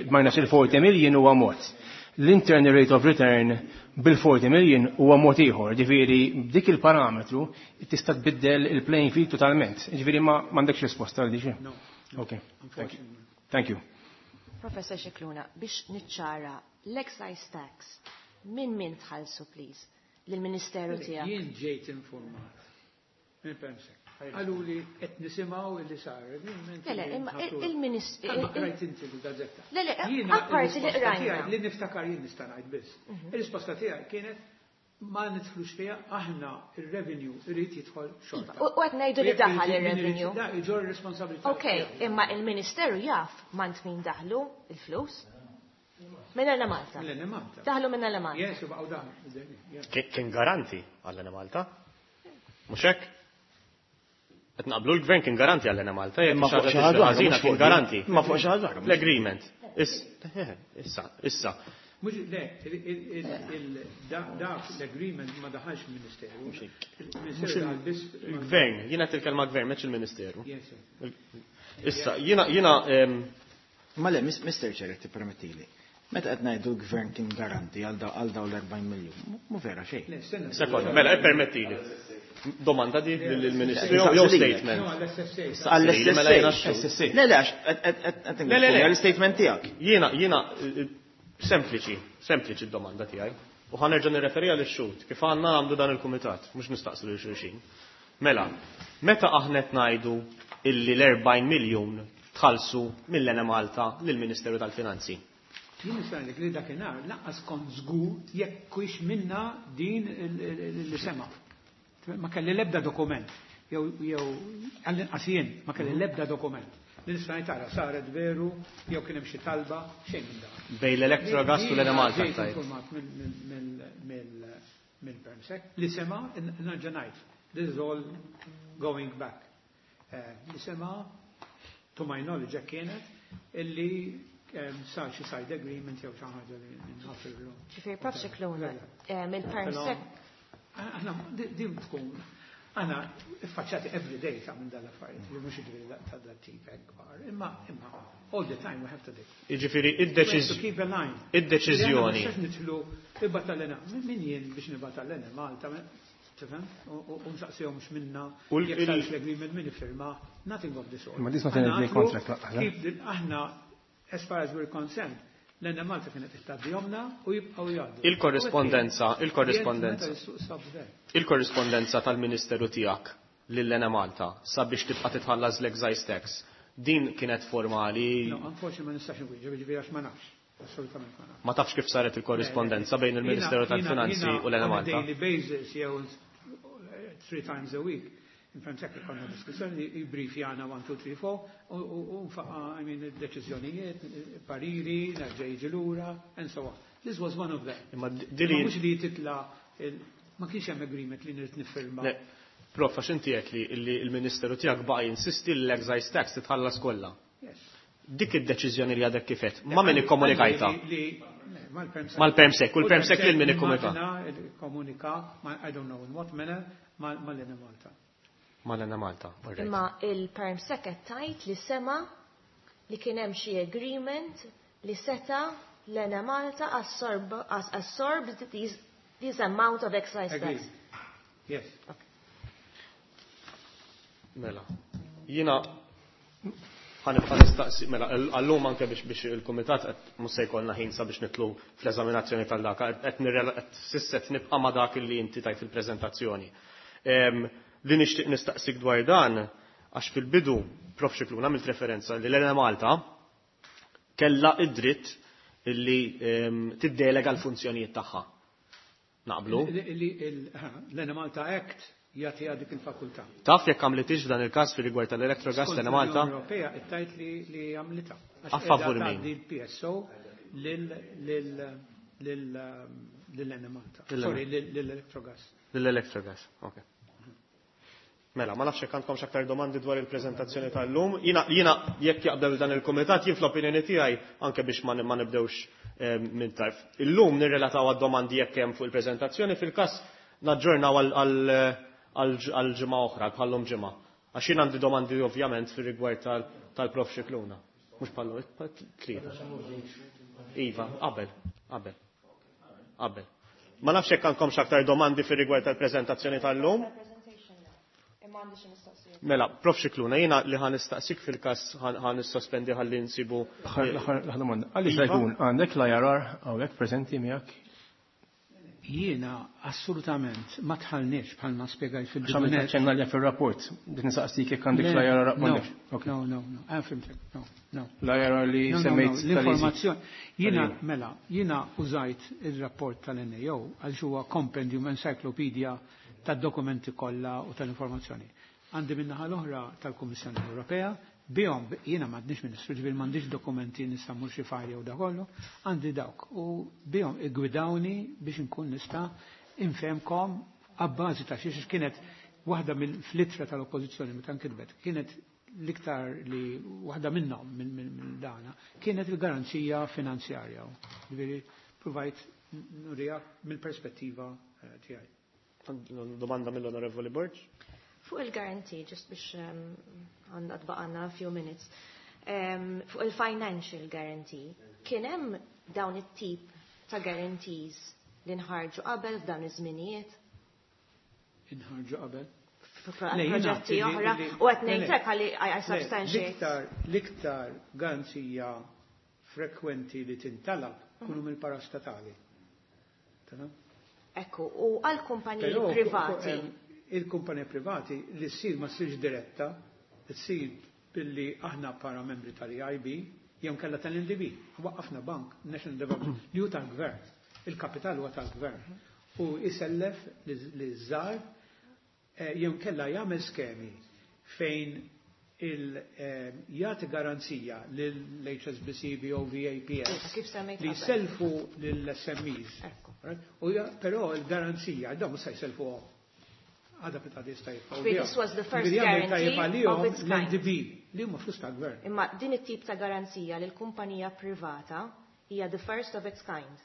minus il-40 million huwa mod. L-internal rate of return bil-40 million huwa mod ieħor, ġifieri b'dik il-parametru tista' tbiddel il-playing field totalment. Ġifieri ma m'għandekx risposta għal dik. No. Okay. Thank you. Thank you. Professor Scicluna, biex niċċara l-excise tax minn tħallsu please lill-Ministeru tiegħek. Jien ġejt informat minn Permsec. Qallu li qed nisimgħu illi sar. Le, le, imma il-Ministru. Rajt inti l-gazzetta. Le, le, Jiena apparti li il-risposta qrajna. tiegħi li niftakar jien nista' ngħid biss. Il-risposta tiegħi kienet ma nidħlux fiha, aħna il-revenue irid jidħol xorta. U qed ngħidu li daħal ir-revenue. Da iġorr responsabilità. Ok, imma il-Ministeru jaf m'għand min daħlu il-flus. Minn Enemalta. Minn Enemalta. Daħlu minn Enemalta. Yes, u baqgħu daħlu. Yes. Kien garanti għall-Enemalta? Mhux hekk? Qed naqblu l-gvern kien garanti għall-Enemalta, jekk Imma xi fuq ħaġa xi ħaġa tiġri oħra, ħażina mhux kien fuq garanti. din. Imma fuq xi ħaġa oħra, mhux L-agreement. Issa, issa. Mhux le, dak l-agreement ma daħalx il-Ministeru. Il-Ministeru daħal biss. Il-gvern, jiena qed il-kelma gvern, mhux il-Ministeru. Yes, yes. Issa, jiena Ma le, Mr. Chair, tippermettili. Meta qed ngħidu l-gvern kien garanti għal dawn l-40 miljun, mhu vera xejn. Le, stenna. Sekonda, mela, ippermettili. Domanda di lill-Ministru jew statement. No, għall-SSA. Mela jiena Għall-SSA. Le, le, għax qed Le, le, le. l-statement tiegħek. Jiena, sempliċi, sempliċi d-domanda tiegħi. U ħa nerġa' nirreferi għal ix-xhud kif għandna għandu dan il-kumitat, mhux nistaqsu lil xulxin. Mela, meta aħna qed ngħidu illi l-40 miljun tħallsu mill-Enemalta lill-Ministeru tal-Finanzi. Jien nista' ngħidlek li dakinhar lanqas kont żgur jekk kienx minna din li sema. Ma kelli l-ebda dokument. Jew għall-inqas jien ma kelli l-ebda dokument. Li nista' ngħid tara saret veru jew kien hemm xi talba xejn minn dan. Bejn l-Electrogas u l-Enemalta Ġejt tajt. informat mill-Permsec li sema nerġa' ngħid. This is all going back. Li sema to my knowledge hekk kienet illi sar xi side agreement jew xi ħaġa li nħaffirlu. Ġifieri Prof Scicluna, il-Permsec Aħna din tkun aħna iffaċċati every day ta' minn dal-affarijiet, li mhux jiġifieri ta' dat tip hekk kbar, imma all the time we have to do. Jiġifieri We have to keep a line. id-deċiżjoni. Li aħna ma nistax nidħlu ibgħat tal-Ena, min jien biex nibgħat tal-Enemalta, tifhem? U nsaqsihom x'minna, U jekk sarx l-agreement min iffirma, nothing of the sort. Ma this not an Aħna everyday għatlu contract, laqqa, keep aħna, as far as we're concerned, l-Enemalta kienet ittadjomna u jibqgħu jgħaddu. Il-korrispondenza, il-korrispondenza. Meta l-suq sab ver. Il-korrispondenza tal-Ministeru tiegħek lill-Enemalta sabiex tibqa' titħallas l-excise tax. Din kienet formali. No, unfortunately ma nistax nwieġeb, jiġifieri għax ma nafx. Assolutament ma nafx. Ma tafx kif saret il-korrispondenza bejn il-Ministeru tal-Finanzi u l-Enemalta. On a daily basis, jew 3 times a week. In fact, hekk ikollna diskussjoni, jibrifjana 1, 2, 3, 4, u nfaqa, I mean, deċiżjonijiet, pariri, nerġa' jiġi lura, and so on. This was one of them. Imma Imma dili mhux li titla' ma kienx hemm agreement li nrid nifirma. Le, Prof, għax inti qed li l-Ministeru tiegħek baqa' jinsisti li l-excise tax titħallas kollha. Yes. Dik id-deċiżjoni li għadek kif għedt, ma min ikkomunikajta? Mal-Permsec. Mal-Permsec, u l-Permsec lil min ikkomunika? Komunika, I don't know in what manner, mal-Enemalta. Mal-Enemalta, all right. Imma il-Permsec qed tgħid li sema li kien hemm xi agreement li seta l-Enemalta absorbed this amount of excise tax. Agreed. Yes. Mela. Jiena ħa nibqa' nistaqsi, mela, għallum anke biex il-kumitat qed mhux se jkollna ħin sabiex nidħlu fl-eżaminazzjoni tal-daka, qed qed s'issa qed nibqa' ma' dak li inti tajt fil-preżentazzjoni. Li nixtieq nistaqsik dwar dan, għax fil-bidu Prof Scicluna għamilt referenza li l-Enemalta kella id-dritt li tiddelega l-funzjonijiet tagħha. Naqblu? L-Enemalta Act jagħtiha dik il-fakultà. Taf jekk għamlitix f'dan il-każ fir-rigward tal-Electrogas Skont l-Enemalta? l-Unjoni Ewropea qed tgħid li għamlitha. A favur min? L-PSO lill-Enemalta. Sorry, lill-Electrogas. Lill-Electrogas, ok. Mela, ma nafx jekk għandkomx aktar domandi dwar il-preżentazzjoni tal-lum. Jiena jekk jaqbel dan il-kumitat, jien fl-opinjoni tiegħi anke biex ma nibdewx minn tarf. Illum nirrelataw għad-domandi jekk hemm fuq il-preżentazzjoni, fil-każ naġġornaw għal ġimgħa oħra, bħallum ġimgħa. Għax jien għandi domandi ovvjament fir-rigward tal-Prof Scicluna. Mhux bħallum, tlieta. Iva, qabel, qabel. Qabel. Ma nafx jekk għandkomx aktar domandi fir-rigward tal-preżentazzjoni tal-lum. Mela, Prof Scicluna, jiena li ħa nistaqsik fil-każ ħa nissospendi ħalli nsibu. L-aħħar domanda. Għaliex se jkun għandek l-IRR hawnhekk preżenti miegħek? Jiena assolutament ma tħallniex bħalma spjegajt fil-bidu. Għax għamilt ċenna li fil-rapport, din nistaqsik jekk għandek l-IRR m'għandekx. No, no, no, no, għan fimtek, no, no. L-IRR li No, no, no, semmejt tal-easy. l-informazzjoni. Jiena, mela, jiena użajt il-rapport tal-NAO għal huwa compendium encyclopedia tad-dokumenti kollha u tal-informazzjoni. Għandi minnaħa l-oħra tal-Kummissjoni Ewropea, bihom jiena m'għandix ministru, ġifieri m'għandix dokumenti nista' mmur xi fajl jew da kollu, għandi dawk u bihom iggwidawni biex inkun nista' infehmkom abbażi ta' xiex kienet waħda mill-flittra tal-oppożizzjoni meta nkitbet, kienet l-iktar li waħda minnhom minn dana kienet il-garanzija finanzjarja. Ġifieri provajt nurija mill-perspettiva tiegħi. Domanda mill-Onorevoli Borg. Fuq il-guarantee, just biex għandna tbaqanna a few minutes, fuq il-financial guarantee, kien hemm dawn it-tip ta' guarantees li nħarġu qabel f'dawn iż-żminijiet? Inħarġu qabel? Proġetti oħra, u qed ngħidlek ħalli I substantiate. L-iktar garanzija frekwenti li tintalab kunu mill-parastatali. Tamam? Ekku, u għal kumpaniji Però, privati. Il-kumpaniji privati li ssir ma ssirx diretta, ssir billi aħna para membri tal-EIB, jew kella tal-NDB, waqqafna bank, National Development, li hu tal-gvern, il-kapital huwa tal-gvern. U jisellef li żgħar jew kella jagħmel skemi fejn jagħti garanzija lill-HSBC, BOV, APS, Iva, kif semmejt li qabel. jselfu lill-S M Es. Ekku. Right? U però il-garanzija, dawn mhux se jselfu għom. Għada pita di staj jibqgħu Wait, biha. this was the first Ġifieri jagħmel tajjeb guarantee għalihom of its kind. l-N D B, li huma flus tal-gvern. Imma din it-tip ta' garanzija lil kumpanija privata hija the first of its kind.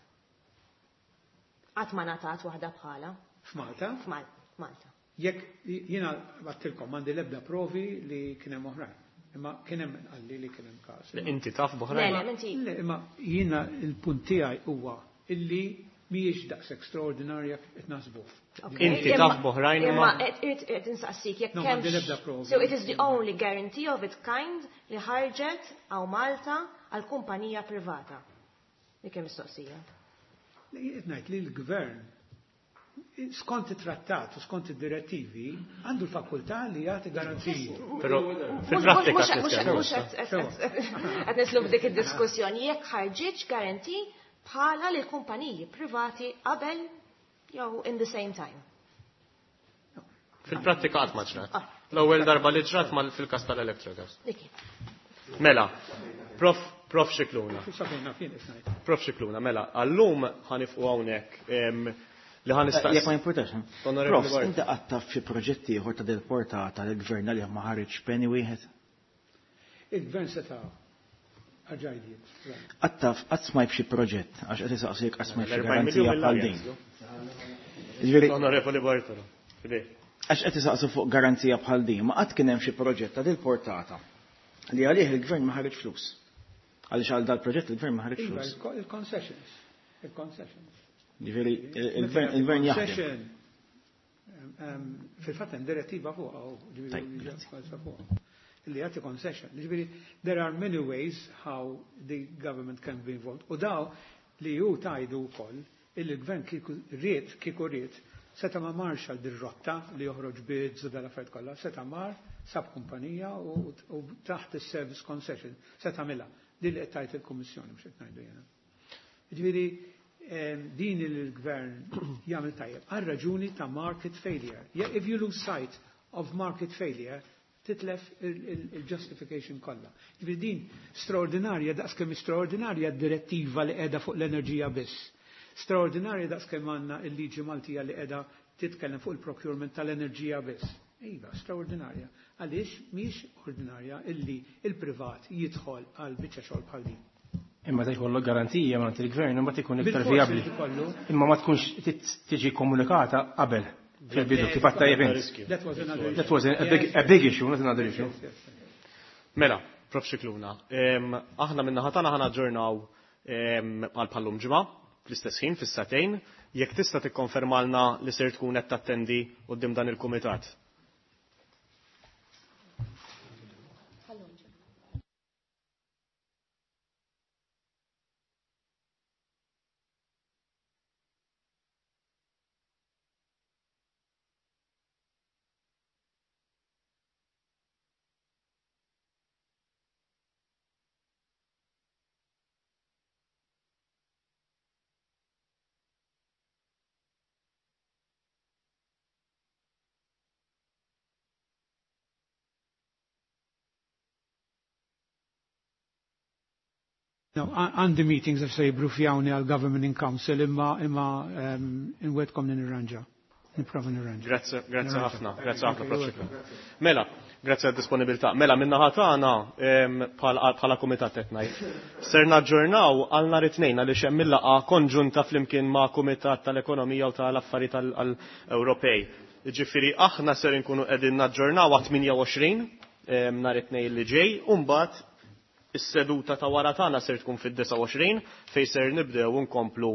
Qatt ma ngħatat waħda bħala. F'Malta? F'Malta. Jekk jiena għattilkom m'għandi l-ebda provi li kien hemm oħrajn. Imma kien hemm qalli li kien hemm każ. Le, inti taf b'oħrajn? Le, le, inti. Le, imma jiena il-punt tiegħi huwa illi mhijiex daqs extraordinarja qed naħsbu. Okay. Inti taf b'oħrajn Imma imma qed insaqsik jekk No, hemmx m'għandi l-ebda provi. So it is the only guarantee of its kind li ħarġet hawn Malta għal kumpanija privata. Dik hemm mistoqsija. Le, jien qed ngħid li l-gvern skont it-trattat u skont id-direttivi għandu l-fakultà li jagħti garanziji. Però fil-prattika qed nitkellmu Mhux issa. qed nitlu f'dik id-diskussjoni jekk ħarġitx garanti bħala lil kumpaniji privati qabel jew in the same time. Fil-prattika qatt ma ġrat. L-ewwel darba li ġrat mal fil-każ tal-Electrogas. Diki. Mela, Prof Scicluna. Sabrina, fien qed ngħid. Prof Scicluna, mela, għallum ħanifqu hawnhekk, li ħan nistaqsi. Jekk ma jimpurtax, ha? Onorevoli Prof, Borg. inti qatt taf xi proġetti ieħor ta' del portata li l-gvern għalih ma ħareġ penny wieħed? Il-gvern seta' għaġajdiet. Qatt taf, qatt smajt xi proġett, għax qed isaqsik qatt smajt xi L-erbgħin garanzija miljun bħal mill-arja din. jaslu. Jiġifieri Onorevoli Bartolo, fidej. Għax qed isaqsu fuq garanzija bħal din, ma qatt kien hemm xi proġett ta' dil portata Li għalih il-gvern ma ħareġ flus. Għaliex għal dal-proġett il-gvern ma ħareġ Iva, flus. il-concessions. Il-concessions. Ġifieri il-gvern jaħdem. Concession, fil-fatt hemm direttiva fuqha u ġifieri Tajb, liġi grazzi. falsa fuqha. Illi jagħti concession. Ġifieri there are many ways how the government can be involved. U daw li ju tajdu wkoll illi l-gvern kieku ried kieku ried seta' ma marx għal dir-rotta li joħroġ bids u dal-affarijiet kollha, seta' mar sab kumpanija u taħt is-service concession seta' mela. Din li qed tgħid il-Kummissjoni mhux qed ngħidu jiena. Ġifieri din il-gvern jagħmel tajjeb għal raġuni ta' market failure. If you lose sight of market failure, titlef il-justification kollha. Ġifieri din straordinarja daqskemm straordinarja d-direttiva li qiegħda fuq l-enerġija biss. Straordinarja daqskemm għandna l-liġi Maltija li qiegħda titkellem fuq il-procurement tal-enerġija biss. Iva, straordinarja. Għaliex mhix ordinarja illi il-privat jidħol għal biċċa xogħol bħal din. Imma ta' jkollok garantija ma' il-gvern imma tkun iktar Bil-fors vijabbli. irid ikollu. Imma ma tkunx tiġi komunikata qabel fil-bidu kif għadt tajjeb int. That was another That was a big issue, not another issue. Yes, yes. Mela, Prof. Scicluna, aħna minna ħatana ħana ġurnaw għal pallum ġimgħa fl-istess ħin fis-satejn, jekk tista' tikkonfermalna li ser tkun qed tattendi quddiem dan il-kumitat. No, għandi meetings għax se jibrufjawni għal Government in Council imma inwedkom li nirranġa. Nipprova nirranġa. Grazzi, grazzi Nirranġa. ħafna, grazzi ħafna, Prof. Scicluna. Mela, grazzi għad-disponibilità. Mela, minna ħatana bħala kumitat qed ngħid. Ser naġġornaw għal nhar it-tnejn għaliex hemm il-laqgħa konġunta flimkien ma' Kumitat tal-Ekonomija u tal-Affarijiet tal-Ewropej. Ġifieri aħna ser inkunu qegħdin naġġornaw għat 28 nhar it-tnejn li ġej, u mbagħad is-seduta ta' wara tagħna ser tkun fid-29 fejn ser nibdew nkomplu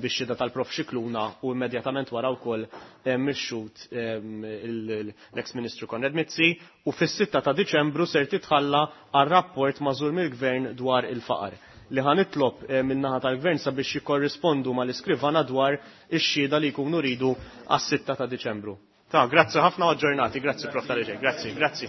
bix-xhieda tal-Prof Scicluna u immedjatament wara wkoll mix-xhud l-ex Ministru Konrad Mizzi u fis-6 ta' Diċembru ser titħalla għar-rapport mażur mill-Gvern dwar il-faqar li ħanitlob min-naħa tal-Gvern sabiex jikkorrispondu mal-iskrivana dwar ix-xhieda li jkunu ridu għas-6 ta' Diċembru. Ta' grazzi ħafna u aġġornati, grazzi Prof Taliġej, grazzi, grazzi.